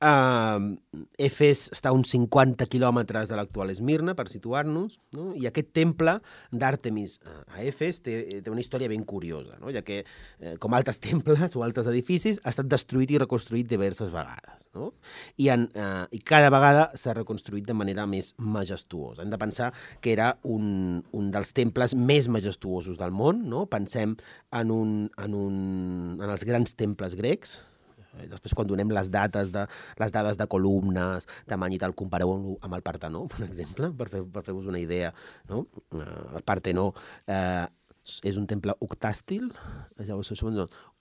Uh, Efes està a uns cinquanta quilòmetres de l'actual Esmirna, per situar-nos, no? I aquest temple d'Àrtemis a Efes té, té una història ben curiosa, no? Ja que, eh, com altres temples o altres edificis, ha estat destruït i reconstruït diverses vegades, no? I, en, eh, i cada vegada s'ha reconstruït de manera més majestuosa. Hem de pensar que era un, un dels temples més majestuosos del món, no? Pensem en, un, en, un, en els grans temples grecs. Després, quan donem les dates de, les dades de columnes, tamany i tal, compareu-ho amb el Partenó, per exemple, per, fer, per fer-vos una idea, no? El Partenó eh, és un temple octàstil,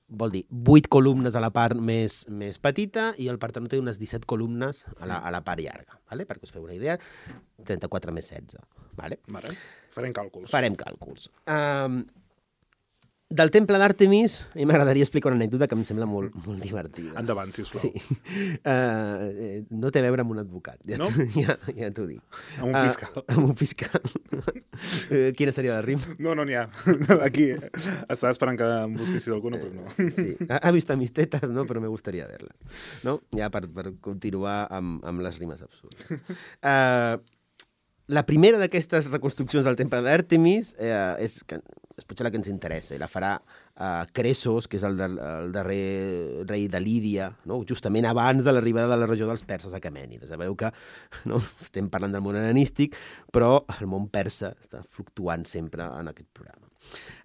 vol dir vuit columnes a la part més, més petita i el Partenó té unes disset columnes a la, a la part llarga, vale? Perquè us feu una idea, trenta-quatre més setze. Vale? Vale. Farem càlculs. Farem càlculs. Um, Del temple d'Àrtemis, a mi m'agradaria explicar una anècdota que em sembla molt, molt divertida. Endavant, sisplau. Sí. Uh, no té a veure amb un advocat, ja, no? ja, ja t'ho dic. Amb un fiscal. Uh, amb un fiscal. uh, quina seria la rima? No, no n'hi ha. Aquí estava esperant que em busquessis alguna, però no. Sí, ha vist mis tetas, no? Però me gustaría verles. No? Ja per, per continuar amb, amb les rimes absurdes. Uh, la primera d'aquestes reconstruccions del temple d'Àrtemis eh, és, és potser la que ens interessa, i la farà eh, Cressos, que és el, de, el darrer rei de Lídia, no? Justament abans de l'arribada de la regió dels perses a Aquemènides. Sabeu que no? Estem parlant del món hel·lenístic, però el món persa està fluctuant sempre en aquest programa.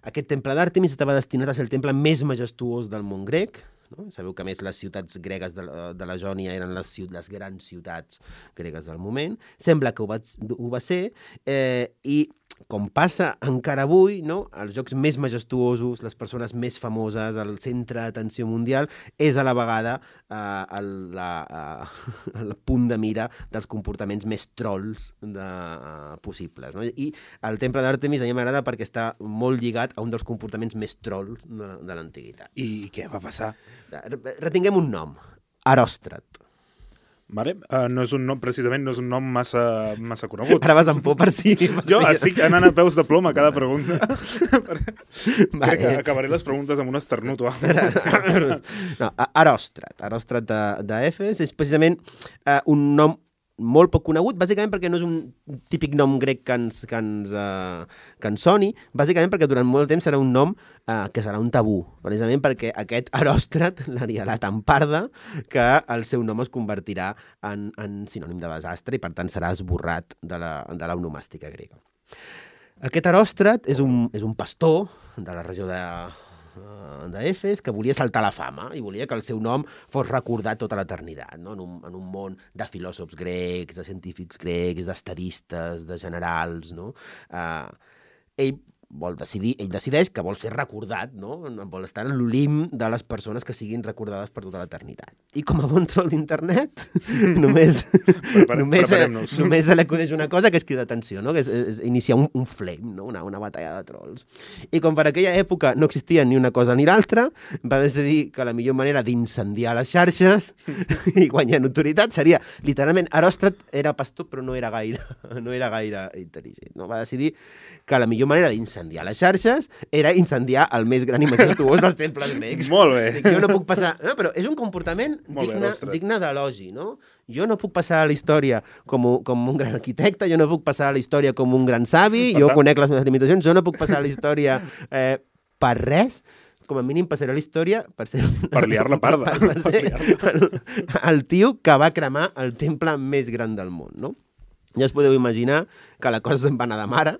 Aquest temple d'Àrtemis estava destinat a ser el temple més majestuós del món grec. No? Sabeu que, a més, les ciutats gregues de la, de la Jònia eren les, les grans ciutats gregues del moment. Sembla que ho va, ho va ser, eh, i com passa encara avui, no? Els jocs més majestuosos, les persones més famoses, el centre d'atenció mundial, és a la vegada eh, el, la, eh, el punt de mira dels comportaments més trolls de, eh, possibles. No? I el temple d'Àrtemis a mi m'agrada perquè està molt lligat a un dels comportaments més trolls de, de l'antiguitat. I què va passar? Retinguem un nom, Eròstrat. Vale. Uh, no és un nom, precisament, no és un nom massa, massa conegut. Ara vas amb por per si... Per jo si... estic anant a peus de ploma a cada pregunta. Vale. Crec que acabaré les preguntes amb un esternut o alguna cosa. No, Eròstrat. Eròstrat d'Efes és precisament uh, un nom molt poc conegut, bàsicament perquè no és un típic nom grec que ens, que ens, uh, que ens soni, bàsicament perquè durant molt temps serà un nom uh, que serà un tabú, precisament perquè aquest Eròstrat l'haria la tan parda que el seu nom es convertirà en, en sinònim de desastre i per tant serà esborrat de la, de la onomàstica grega. Aquest Eròstrat és un, és un pastor de la regió de d'Efes, que volia saltar la fama i volia que el seu nom fos recordat tota l'eternitat, no? en, un, en un món de filòsofs grecs, de científics grecs, d'estadistes, de generals, no? Uh, ell vol decidir, ell decideix que vol ser recordat, no? Vol estar en l'olim de les persones que siguin recordades per tota l'eternitat. I com a bon troll d'internet, només, Prepare, només, només se li acudeix una cosa que és cridar atenció, no? Que és, és iniciar un, un flame, no? una, una batalla de trolls. I com per aquella època no existia ni una cosa ni l'altra, va decidir que la millor manera d'incendiar les xarxes i guanyar notoritat seria, literalment, Eròstrat era pastor però no era gaire, no era gaire intel·ligent. No? Va decidir que la millor manera d'incendiar incendiar les xarxes era incendiar el més gran i majestuós dels temples grecs. Molt bé. Dic, jo no puc passar... No, però és un comportament digne, digne d'elogi, no? Jo no puc passar a la història com, com un gran arquitecte, jo no puc passar a la història com un gran savi, jo conec les meves limitacions, jo no puc passar a la història eh, per res, com a mínim passaré a la història per ser... Per liar-la parda. Per, per ser el, el tio que va cremar el temple més gran del món, no? Ja us podeu imaginar que la cosa se'n va anar de mare.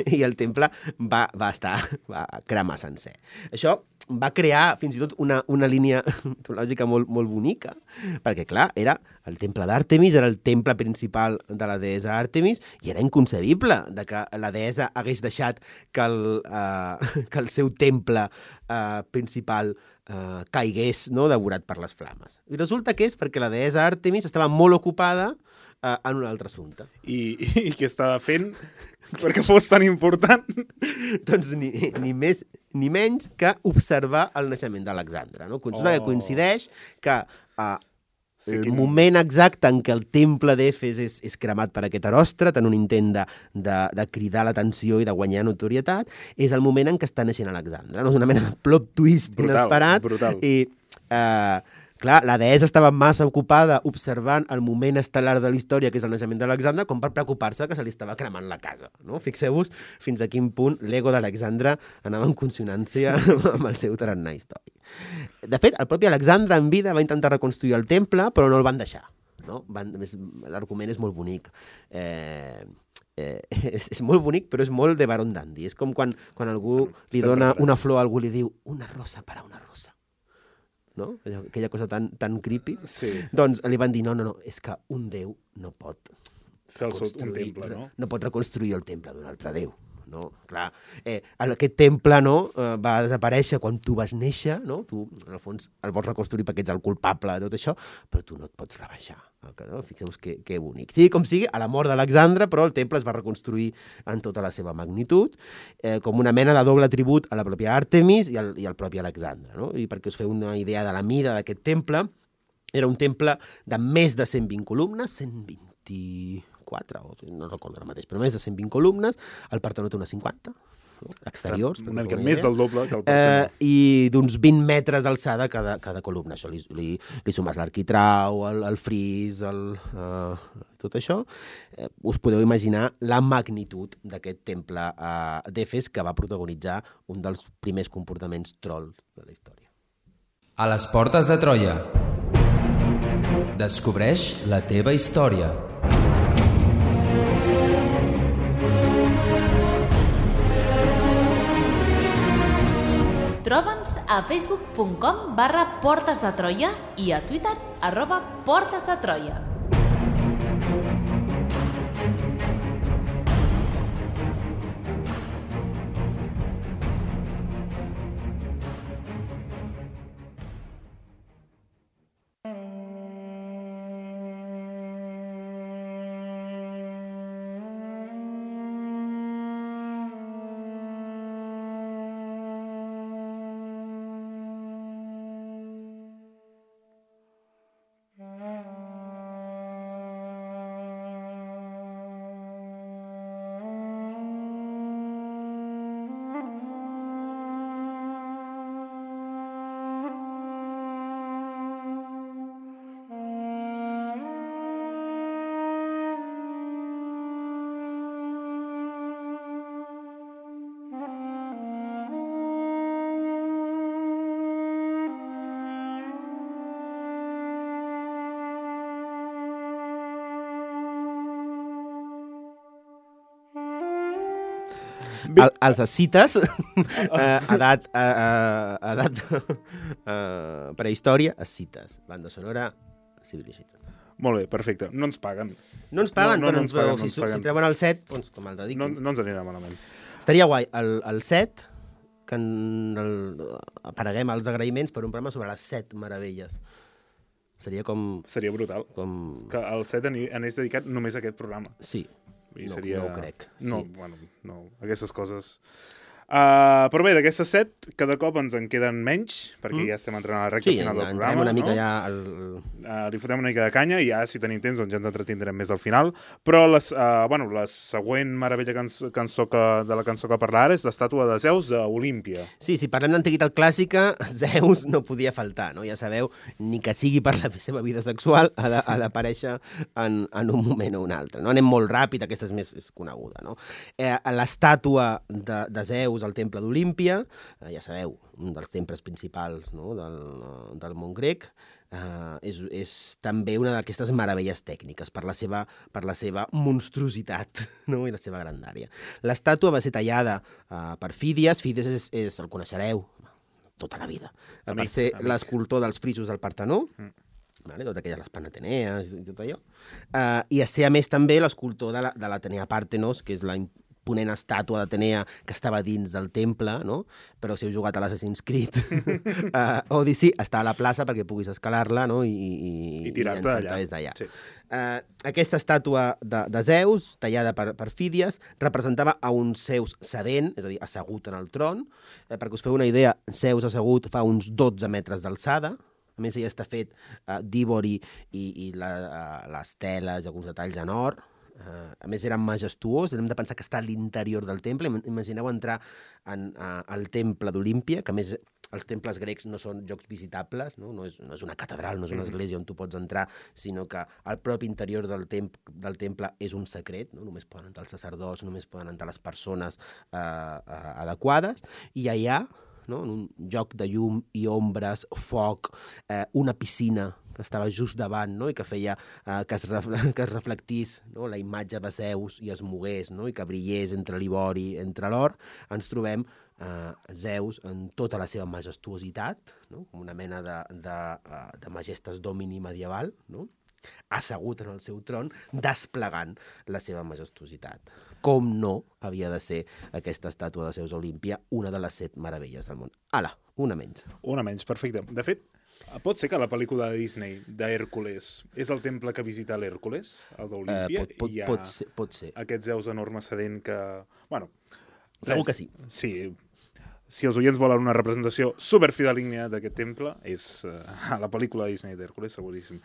i el temple va, va estar, va cremar sencer. Això va crear fins i tot una, una línia mitològica molt, molt bonica, perquè, clar, era el temple d'Àrtemis, era el temple principal de la deessa Àrtemis, i era inconcebible de que la deessa hagués deixat que el, uh, que el seu temple uh, principal uh, caigués, no?, devorat per les flames. I resulta que és perquè la deessa Àrtemis estava molt ocupada Uh, en un altre assumpte. I, i què estava fent perquè fos tan important? Doncs ni, ni més ni menys que observar el naixement d'Alexandre. No? Consulta oh. que coincideix que uh, sí, el quin... moment exacte en què el temple d'Efes és, és cremat per aquest Eròstrat, en un intent de, de, de cridar l'atenció i de guanyar notorietat, és el moment en què està naixent Alexandre. No? És una mena de plot twist brutal, inesperat. Brutal. I... Uh, Clar, la deessa estava massa ocupada observant el moment estel·lar de la història, que és el naixement d'Alexandre, com per preocupar-se que se li estava cremant la casa. No? Fixeu-vos fins a quin punt l'ego d'Alexandre anava en consonància amb el seu tarannà històric. De fet, el propi Alexandre en vida va intentar reconstruir el temple, però no el van deixar. No? Van, l'argument és molt bonic. Eh... Eh, és, és molt bonic, però és molt de Baron Dandy. És com quan, quan algú li dona una flor a algú i li diu una rosa per a una rosa. No? Aquella cosa tan, tan creepy. Sí. Doncs li van dir, no, no, no, és que un déu no pot fer el seu, un temple, no? No pot reconstruir el temple d'un altre déu. No? Clar, eh, aquest temple, no, eh, va desaparèixer quan tu vas néixer, no? Tu, en el fons, el vols reconstruir perquè ets el culpable de tot això, però tu no et pots rebaixar. No? Fixeu-vos que, que bonic. Sí, com sigui, a la mort d'Alexandre, però el temple es va reconstruir en tota la seva magnitud, eh, com una mena de doble tribut a la pròpia Àrtemis i al, i al propi Alexandre. No? I perquè us feu una idea de la mida d'aquest temple, era un temple de més de cent vint columnes, cent vint-i-quatre, no recordo ara mateix, però més de cent vint columnes, el Partenó té unes cinquanta, no? Exteriors. Una mica més del doble que el Partenó. Eh, I d'uns vint metres d'alçada cada, cada columna. Això li, li, li sumes l'arquitrau, el, el fris, el, uh, tot això. Eh, us podeu imaginar la magnitud d'aquest temple uh, d'Efes que va protagonitzar un dels primers comportaments trolls de la història. A les portes de Troia. Descobreix la teva història. Troba'ns a facebook punt com barra Portes de Troia i a Twitter arroba Portes de Troia. El, els escites, eh, edat, eh, edat eh, prehistòria, escites. Banda sonora, Civilization. Molt bé, perfecte. No ens paguen. No ens paguen, no, no, però, no ens paguen, però no si, ens paguen. si treuen el set, doncs com el dediquin. No, no ens anirà malament. Estaria guai. El, el set, que en el, apareguem als agraïments per un programa sobre les set meravelles. Seria com... Seria brutal. Com... Que el set anés dedicat només a aquest programa. Sí. I no, seria... no ho crec. No, sí. bueno, no. Aquestes coses... Uh, però bé, d'aquestes set, cada cop ens en queden menys, perquè mm. ja estem entrant a la recta sí, final del programa. Sí, programa. una mica no? ja... El... Uh, li fotem una mica de canya i ja, si tenim temps, doncs ja ens entretindrem més al final. Però les, uh, bueno, la següent meravella cançó, cançó que, de la cançó que parla ara és l'estàtua de Zeus d'Olímpia. Sí, si parlem d'antiguitat clàssica, Zeus no podia faltar, no? Ja sabeu, ni que sigui per la seva vida sexual, ha d'aparèixer en, en un moment o un altre. No? Anem molt ràpid, aquesta és més és coneguda. No? Eh, l'estàtua de, de Zeus al temple d'Olímpia, eh, ja sabeu, un dels temples principals, no? del, del món grec, Uh, és, és també una d'aquestes meravelles tècniques per la seva, per la seva monstruositat, no? I la seva grandària. L'estàtua va ser tallada uh, per Fídies. Fídies és, és, el coneixereu tota la vida. Amic, per ser l'escultor dels frisos del Partenó, mm. vale? Totes aquelles les Panatenees i tot allò. Uh, I a ser, a més, també l'escultor de l'Atenea Partenos, que és la imponent estàtua d'Atenea que estava dins del temple, no? Però si heu jugat a l'Assassin's Creed uh, Odyssey, està a la plaça perquè puguis escalar-la, no? I, i, I tirar-te d'allà. Des d'allà. Sí. Uh, aquesta estàtua de, de Zeus, tallada per, per Fídies, representava a un Zeus sedent, és a dir, assegut en el tron. Uh, perquè us feu una idea, Zeus assegut fa uns dotze metres d'alçada. A més, ell està fet uh, d'ivori i, i la, uh, les teles i alguns detalls en or. Uh, a més, era majestuós. Hem de pensar que està a l'interior del temple. Imagineu entrar en, uh, al temple d'Olímpia, que a més els temples grecs no són llocs visitables, no? No, és, no és una catedral, no és una església on tu pots entrar, sinó que el propi interior del, temp del temple és un secret, no? Només poden entrar els sacerdots, només poden entrar les persones uh, uh, adequades, i allà, no? En un joc de llum i ombres, foc, eh, una piscina que estava just davant, no? I que feia eh, que, es que es reflectís, no? La imatge de Zeus i es mogués, no? I que brillés entre l'ivori, entre l'or, ens trobem eh, Zeus en tota la seva majestuositat, no? Com una mena de, de, de majestas domini medieval, no? Assegut en el seu tron, desplegant la seva majestuositat. Com no havia de ser aquesta estàtua de Zeus a Olímpia una de les set meravelles del món. Ala, una menys. Una menys, perfecte. De fet, pot ser que la pel·lícula de Disney d'Hèrcules és el temple que visita l'Hèrcules, el d'Olímpia? Uh, pot, pot, i hi ha pot, ser, pot ser. Aquest Zeus enorme sedent que... Bueno, segur que sí. Sí. Si els oients volen una representació superfidelínia d'aquest temple, és uh, la pel·lícula de Disney d'Hèrcules, seguríssim.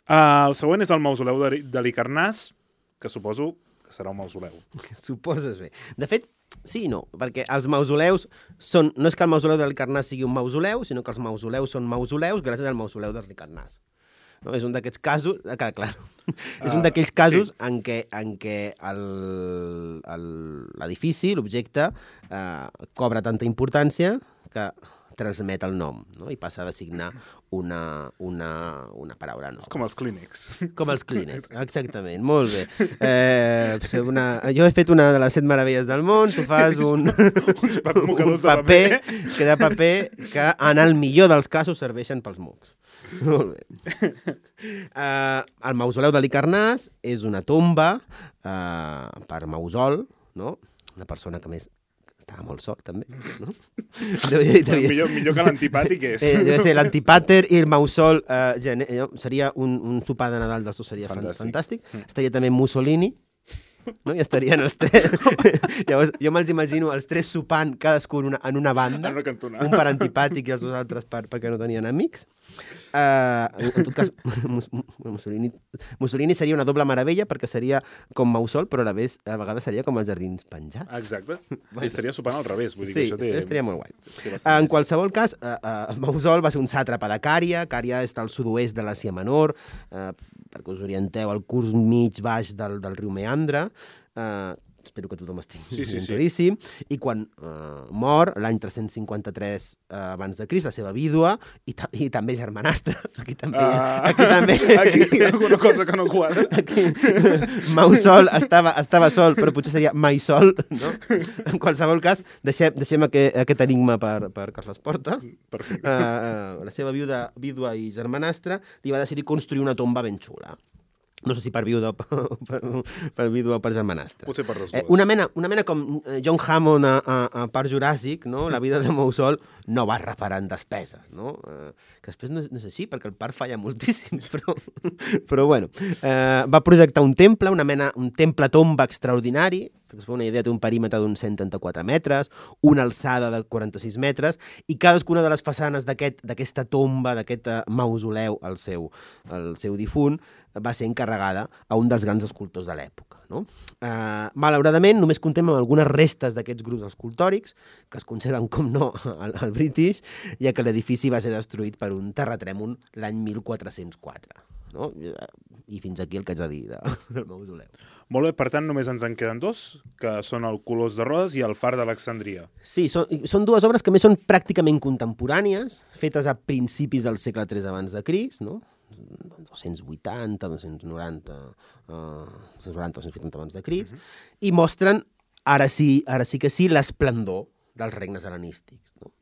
Uh, el següent és el mausoleu de, de l'Icarnàs, que suposo que serà un mausoleu. Suposes bé. De fet, sí i no, perquè els mausoleus són... No és que el mausoleu de l'Icarnàs sigui un mausoleu, sinó que els mausoleus són mausoleus gràcies al mausoleu de l'Icarnàs. No? És un d'aquests casos... Ah, clar. Uh, és un d'aquells casos sí. en què, en què l'edifici, l'objecte, eh, cobra tanta importància que transmet el nom, no? I passa a designar una, una, una paraula nova. És com els clínics. Com els clínics, exactament. Molt bé. Eh, una... Jo he fet una de les set meravelles del món, tu fas un, un paper, que de paper que en el millor dels casos serveixen pels mocs. Molt bé. Eh, el mausoleu de l'Icarnàs és una tomba eh, per Mausol, no? Una persona que més estava molt sol, també, no? Devia, devia millor, millor que l'antipàtic és. Eh, deve ser l'antipàter i el Mausol. Eh, seria un, un sopar de Nadal dels dos, seria fantàstic. fantàstic. Mm. Estaria també Mussolini, no? I estarien els tres. Llavors, jo me'ls imagino els tres sopant cadascun una, en una banda, en una un per antipàtic i els dos altres per, perquè no tenien amics. Uh, en tot cas, Mussolini, Mussolini seria una doble meravella perquè seria com Mausol, però a la vegada, a vegades seria com els jardins penjats. Exacte. Bueno. I estaria sopant al revés. Vull dir sí, que això té... estaria molt guai. En qualsevol cas, uh, uh, Mausol va ser un sàtrapa de Cària. Cària està al sud-oest de l'Àsia Menor, uh, perquè us orienteu al curs mig-baix del, del riu Meandre. Uh, espero que tothom estigui sí, sí, sí. I quan uh, mor, l'any tres-cents cinquanta-tres uh, abans de Crist, la seva vídua i, ta i també germanastra. Aquí també... Uh, aquí també... Aquí hi ha alguna cosa que no quadra. Aquí, Mausol estava, estava sol, però potser seria Maisol, no? En qualsevol cas, deixem, deixem aquest, aquest enigma per, per Carles Porta. Perfecte. Uh, uh, la seva vídua, vídua i germanastra li va decidir construir una tomba ben xula. No sé si per vídua o per, per vídua o per germanastra. Potser per les dues. Eh, una, mena, una mena com John Hammond a, a, a Parc Juràssic, no? La vida de Mausol no va reparant despeses, no? Eh, que després no, no és així, perquè el parc falla moltíssim, però, però bueno. Eh, va projectar un temple, una mena, un temple-tomba extraordinari, perquè es fa una idea, té un perímetre d'uns cent trenta-quatre metres, una alçada de quaranta-sis metres, i cadascuna de les façanes d'aquesta aquest, tomba, d'aquest mausoleu al seu, al seu difunt, va ser encarregada a un dels grans escultors de l'època. No? Uh, malauradament, només contem amb algunes restes d'aquests grups escultòrics, que es conserven, com no, al, al British, ja que l'edifici va ser destruït per un terratrèmol l'any mil quatre-cents quatre. no? I fins aquí el que haig de dir de, del mausoleu. Molt bé, per tant, només ens en queden dos, que són el Colós de Rodes i el Far d'Alexandria. Sí, són, són dues obres que més són pràcticament contemporànies, fetes a principis del segle tres abans de Crist, no? dos-cents vuitanta, dos-cents noranta, uh, dos-cents noranta, dos-cents vuitanta abans de Crist, uh -huh. i mostren, ara sí, ara sí que sí, l'esplendor dels regnes hel·lenístics. No?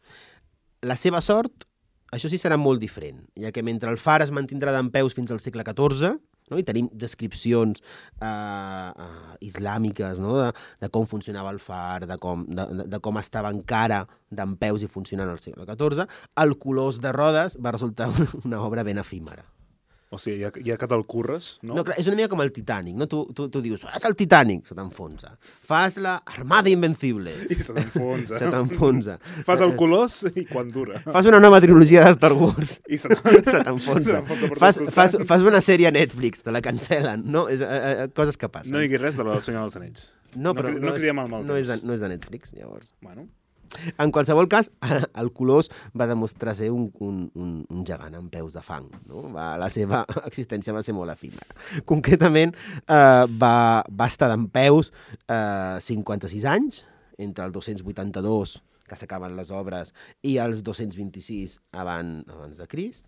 La seva sort, això sí serà molt diferent, ja que mentre el Far es mantindrà dempeus fins al segle catorze, no? I tenim descripcions uh, uh, islàmiques, no? de, de com funcionava el far, de com, de, de, de com estava encara dempeus i funcionant al segle catorze, el Colós de Rodes va resultar una obra ben efímera. O sigui, ja, ja que te'l curres, no? No, clar, és una mica com el Titanic, no? Tu, tu, tu dius, fas el Titanic, se t'enfonsa. Fas la Armada Invencible. I se t'enfonsa. Se t'enfonsa. Fas el Colós i quan dura. Fas una nova trilogia de Star Wars. I se t'enfonsa. Fas, fas, fas una sèrie a Netflix, te la cancel·len, no? És, eh, eh, coses que passen. No diguis res de la Senyor dels Anells. No, però no, no, no és, cridem el mal no, és de, no és de Netflix, llavors. Bueno... En qualsevol cas, el Colós va demostrar ser un, un, un, un gegant amb peus de fang. No? Va, la seva existència va ser molt efímera. Concretament, eh, va, va estar dempeus eh, cinquanta-sis anys, entre el dos-cents vuitanta-dos, que s'acaben les obres, i els dos-cents vint-i-sis abans, abans de Crist,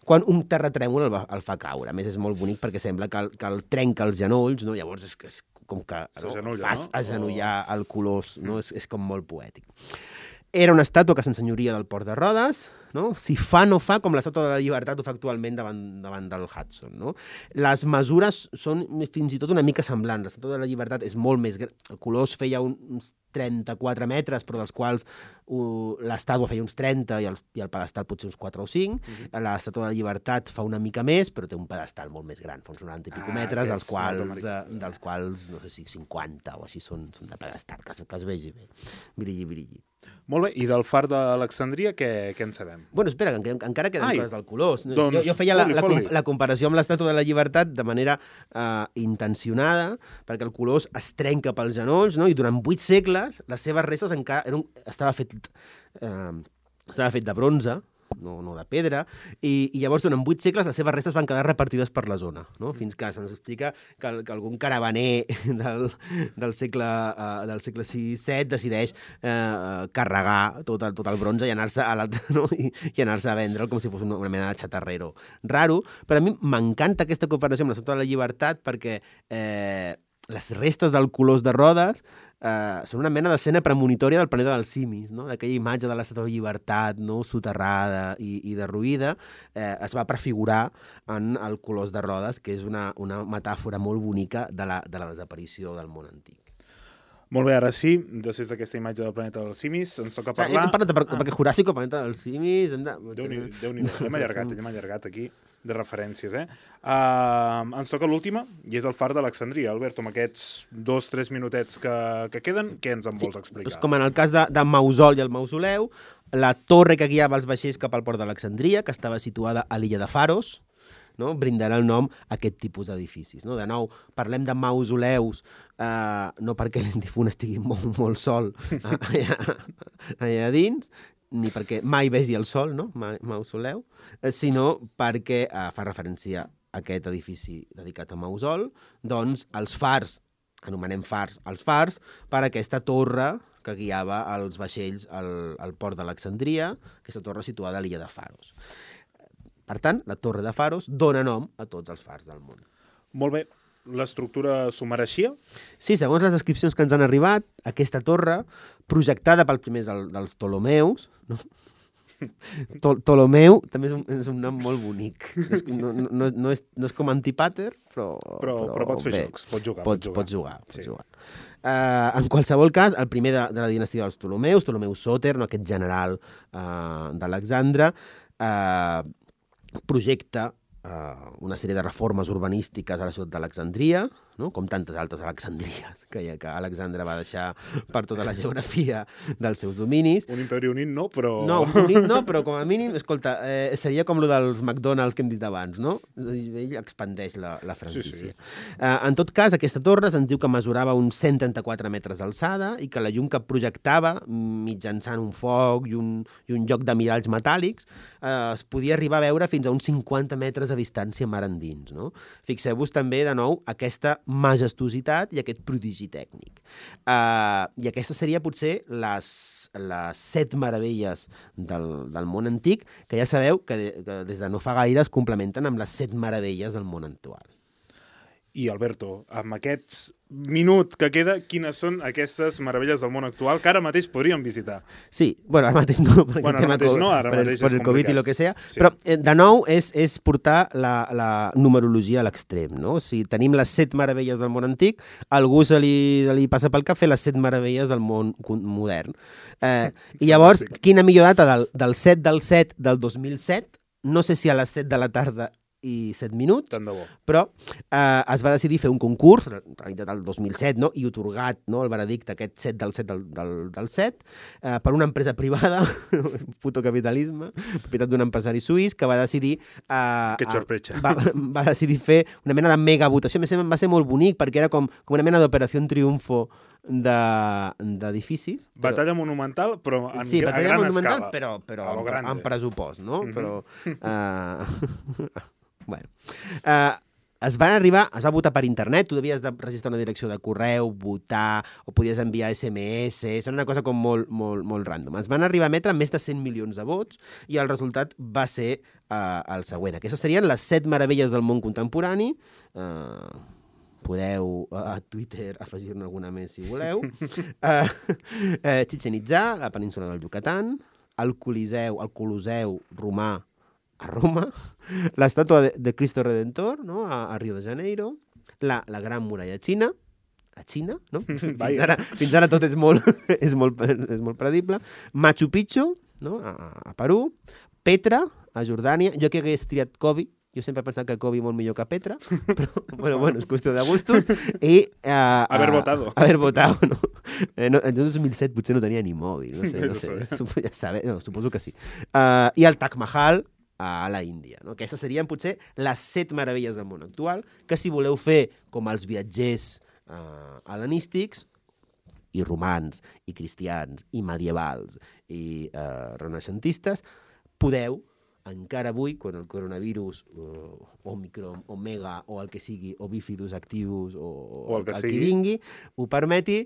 quan un terratrèmol el, va, el fa caure. A més, és molt bonic perquè sembla que el, que el trenca els genolls, no? Llavors és, és com que no? fas no? agenollar el Colós, no? és, és com molt poètic. Era una estàtua que s'ensenyoria del port de Rodes, no? Si fa no fa com l'estàtua de la Llibertat ho fa actualment davant, davant del Hudson. No? Les mesures són fins i tot una mica semblants. L'estàtua de la Llibertat és molt més gran. El Colós feia uns trenta-quatre metres, però dels quals uh, l'estàtua feia uns trenta i el, i el pedestal potser uns quatre o cinc. Uh-huh. L'estàtua de la Llibertat fa una mica més, però té un pedestal molt més gran, fa uns noranta i pico ah, metres, dels quals, eh, dels quals, no sé si cinquanta o així són, són de pedestal, que es, que es vegi bé. Brilli, brilli. Molt bé, i del Far d'Alexandria què, què en sabem? Bueno, espera, que encara queden Ai, coses del Colós. Doncs, jo, jo feia la, foli, la, foli. la comparació amb l'estàtua de la Llibertat de manera uh, intencionada, perquè el Colós es trenca pels genolls, no? I durant vuit segles les seves restes encara eren, estava, fet, uh, estava fet de bronze, no, no de pedra, i, i llavors durant vuit segles les seves restes van quedar repartides per la zona, no? Fins que se'ns explica que, que algun caravaner del, del segle uh, del segle sis set decideix uh, carregar tot el, tot el bronze i anar-se a, no? I, i anar-se a vendre'l com si fos una, una mena de xatarrero raro, però a mi m'encanta aquesta comparació amb l'Estàtua de la Llibertat perquè eh, les restes del Colós de Rodes Uh, són una mena d'escena premonitòria del planeta dels simis, no? D'aquella imatge de l'Estàtua de Llibertat, no? Soterrada i, i derruïda, eh, es va prefigurar en el Colós de Rodes, que és una, una metàfora molt bonica de la, de la desaparició del món antic. Molt bé, ara sí, després d'aquesta imatge del planeta dels simis, ens toca parlar... Hem parlat de, per, ah. perquè Juràssico, planeta dels simis... Hem de... Déu-n'hi-do, Déu hem allargat, hem allargat aquí de referències, eh? Uh, ens toca l'última, i és el Far d'Alexandria. Alberto, amb aquests dos, tres minutets que, que queden, què ens en vols explicar? Doncs com en el cas de, de Mausol i el Mausoleu, la torre que guiava els vaixells cap al port d'Alexandria, que estava situada a l'illa de Faros, no? Brindarà el nom a aquest tipus d'edificis. No? De nou, parlem de mausoleus, eh, no perquè l'indifun estigui molt, molt sol allà, allà dins, ni perquè mai vegi el sol, no? Mausoleu, eh, sinó perquè eh, fa referència a aquest edifici dedicat a Mausol, doncs els fars, anomenem fars els fars, per aquesta torre que guiava els vaixells al, al port d'Alexandria, aquesta torre situada a l'illa de Faros. Per tant, la torre de Faros dona nom a tots els fars del món. Molt bé. L'estructura s'ho mereixia? Sí, segons les descripcions que ens han arribat, aquesta torre, projectada pel primer del, dels Ptolomeus, no? Tol Ptolomeu també és un, és un nom molt bonic. És, no, no, no, és, no és com Antipater, però... Però, però, però pots fer bé, jocs, pots jugar. Pots, pots jugar. Pots jugar, sí. pots jugar. Uh, en qualsevol cas, el primer de, de la dinastia dels Ptolemeus, Ptolemeu Sòter, no, aquest general uh, d'Alexandre, uh, projecta uh, una sèrie de reformes urbanístiques a la ciutat d'Alexandria, no? Com tantes altres Alexandries que, que Alexandre va deixar per tota la geografia dels seus dominis. Un imperi unit no, però... No, unit no, però com a mínim, escolta, eh, seria com lo dels McDonald's que hem dit abans, no? Ell expandeix la, la franquícia. Sí, sí. Eh, en tot cas, aquesta torre se'ns diu que mesurava uns cent trenta-quatre metres d'alçada i que la llum que projectava, mitjançant un foc i un, i un joc de miralls metàl·lics, eh, es podia arribar a veure fins a uns cinquanta metres de distància mar endins. No? Fixeu-vos també, de nou, aquesta majestuositat i aquest prodigi tècnic. Uh, I aquestes seria potser les, les set meravelles del, del món antic, que ja sabeu que, de, que des de no fa gaire es complementen amb les set meravelles del món actual. I, Alberto, amb aquest minut que queda, quines són aquestes meravelles del món actual que ara mateix podríem visitar? Sí, bueno, ara mateix no, per, bueno, ara mateix no, ara per, mateix per el Covid i el que sea, sí. Però, eh, de nou, és, és portar la, la numerologia a l'extrem, no? O sigui, tenim les set meravelles del món antic, a algú se li, se li passa pel cap fer les set meravelles del món modern. Eh, I llavors, quina millor data del, del set del set del dos mil set? No sé si a les set de la tarda i set minuts, però eh, es va decidir fer un concurs, realitzat el dos mil set, no? I otorgat, no, el veredicte aquest set del set del, del, del set, eh, per una empresa privada, puto capitalisme, propietat d'un empresari suís, que va decidir eh, que xorpretxa. Va, va decidir fer una mena de mega votació. A més, va ser molt bonic, perquè era com, com una mena d'operació triomfo d'edificis. De, Batalla però... monumental, però en, sí, a gran monumental, escala. Però, però en, en pressupost, no? Mm-hmm. Però... Uh... Bueno, uh, es van arribar, es va votar per internet, tu devies de registrar una direcció de correu, votar, o podies enviar esse eme esse, és una cosa com molt, molt, molt random. Es van arribar a emetre més de cent milions de vots i el resultat va ser uh, el següent. Aquestes serien les set meravelles del món contemporani. Uh, podeu uh, a Twitter afegir-ne alguna més si voleu. Uh, uh, Chichén Itzá, la península del Yucatán, el Coliseu, el Coloseu romà a Roma, l'estàtua de, de Cristo Redentor, no? a, a Rio de Janeiro, la, la Gran Muralla Xina, a Xina, no? fins, ara, fins ara tot és molt, és molt, és molt predible, Machu Picchu, no? a, a Perú, Petra, a Jordània, jo que hagués triat Kobe, jo sempre he pensat que Kobe molt millor que Petra, però bueno, bueno, és qüestió de gustos, i... Uh, haver uh, votado. Haver votado, no? Eh, no, en dos mil set potser no tenia ni mòbil, no sé, no sé, ja sabe, no, suposo que sí. Uh, I el Taj Mahal, a la Índia. No? Aquestes serien potser les set meravelles del món actual, que si voleu fer com els viatgers eh, hel·lenístics, i romans, i cristians, i medievals, i eh, renaixentistes, podeu, encara avui, quan el coronavirus, uh, Omicron, Omega, o el que sigui, o Bifidus activus, o, o el que, el sigui. que vingui, ho permeti,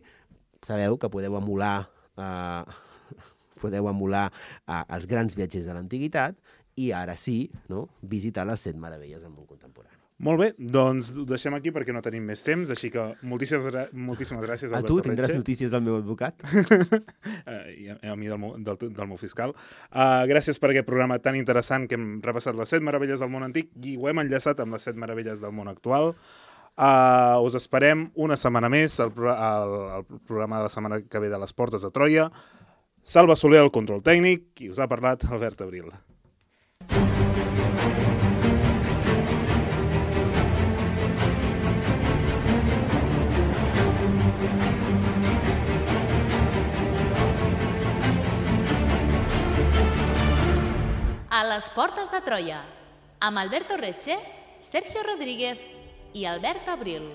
sabeu que podeu emular, eh, podeu emular eh, els grans viatgers de l'antiguitat, i ara sí, no? visitar les set meravelles del món contemporani. Molt bé, doncs ho deixem aquí perquè no tenim més temps, així que moltíssimes, moltíssimes gràcies, Alberto Retxe. A tu tindràs notícies del meu advocat? uh, I a, a mi del, del, del meu fiscal. Uh, gràcies per aquest programa tan interessant que hem repassat les set meravelles del món antic i ho hem enllaçat amb les set meravelles del món actual. Uh, us esperem una setmana més al pro al, al programa de la setmana que ve de les Portes de Troia. Salva Soler al control tècnic i us ha parlat Albert Abril. A les Portes de Troia, amb Alberto Retxe, Sergio Rodríguez i Albert Abril.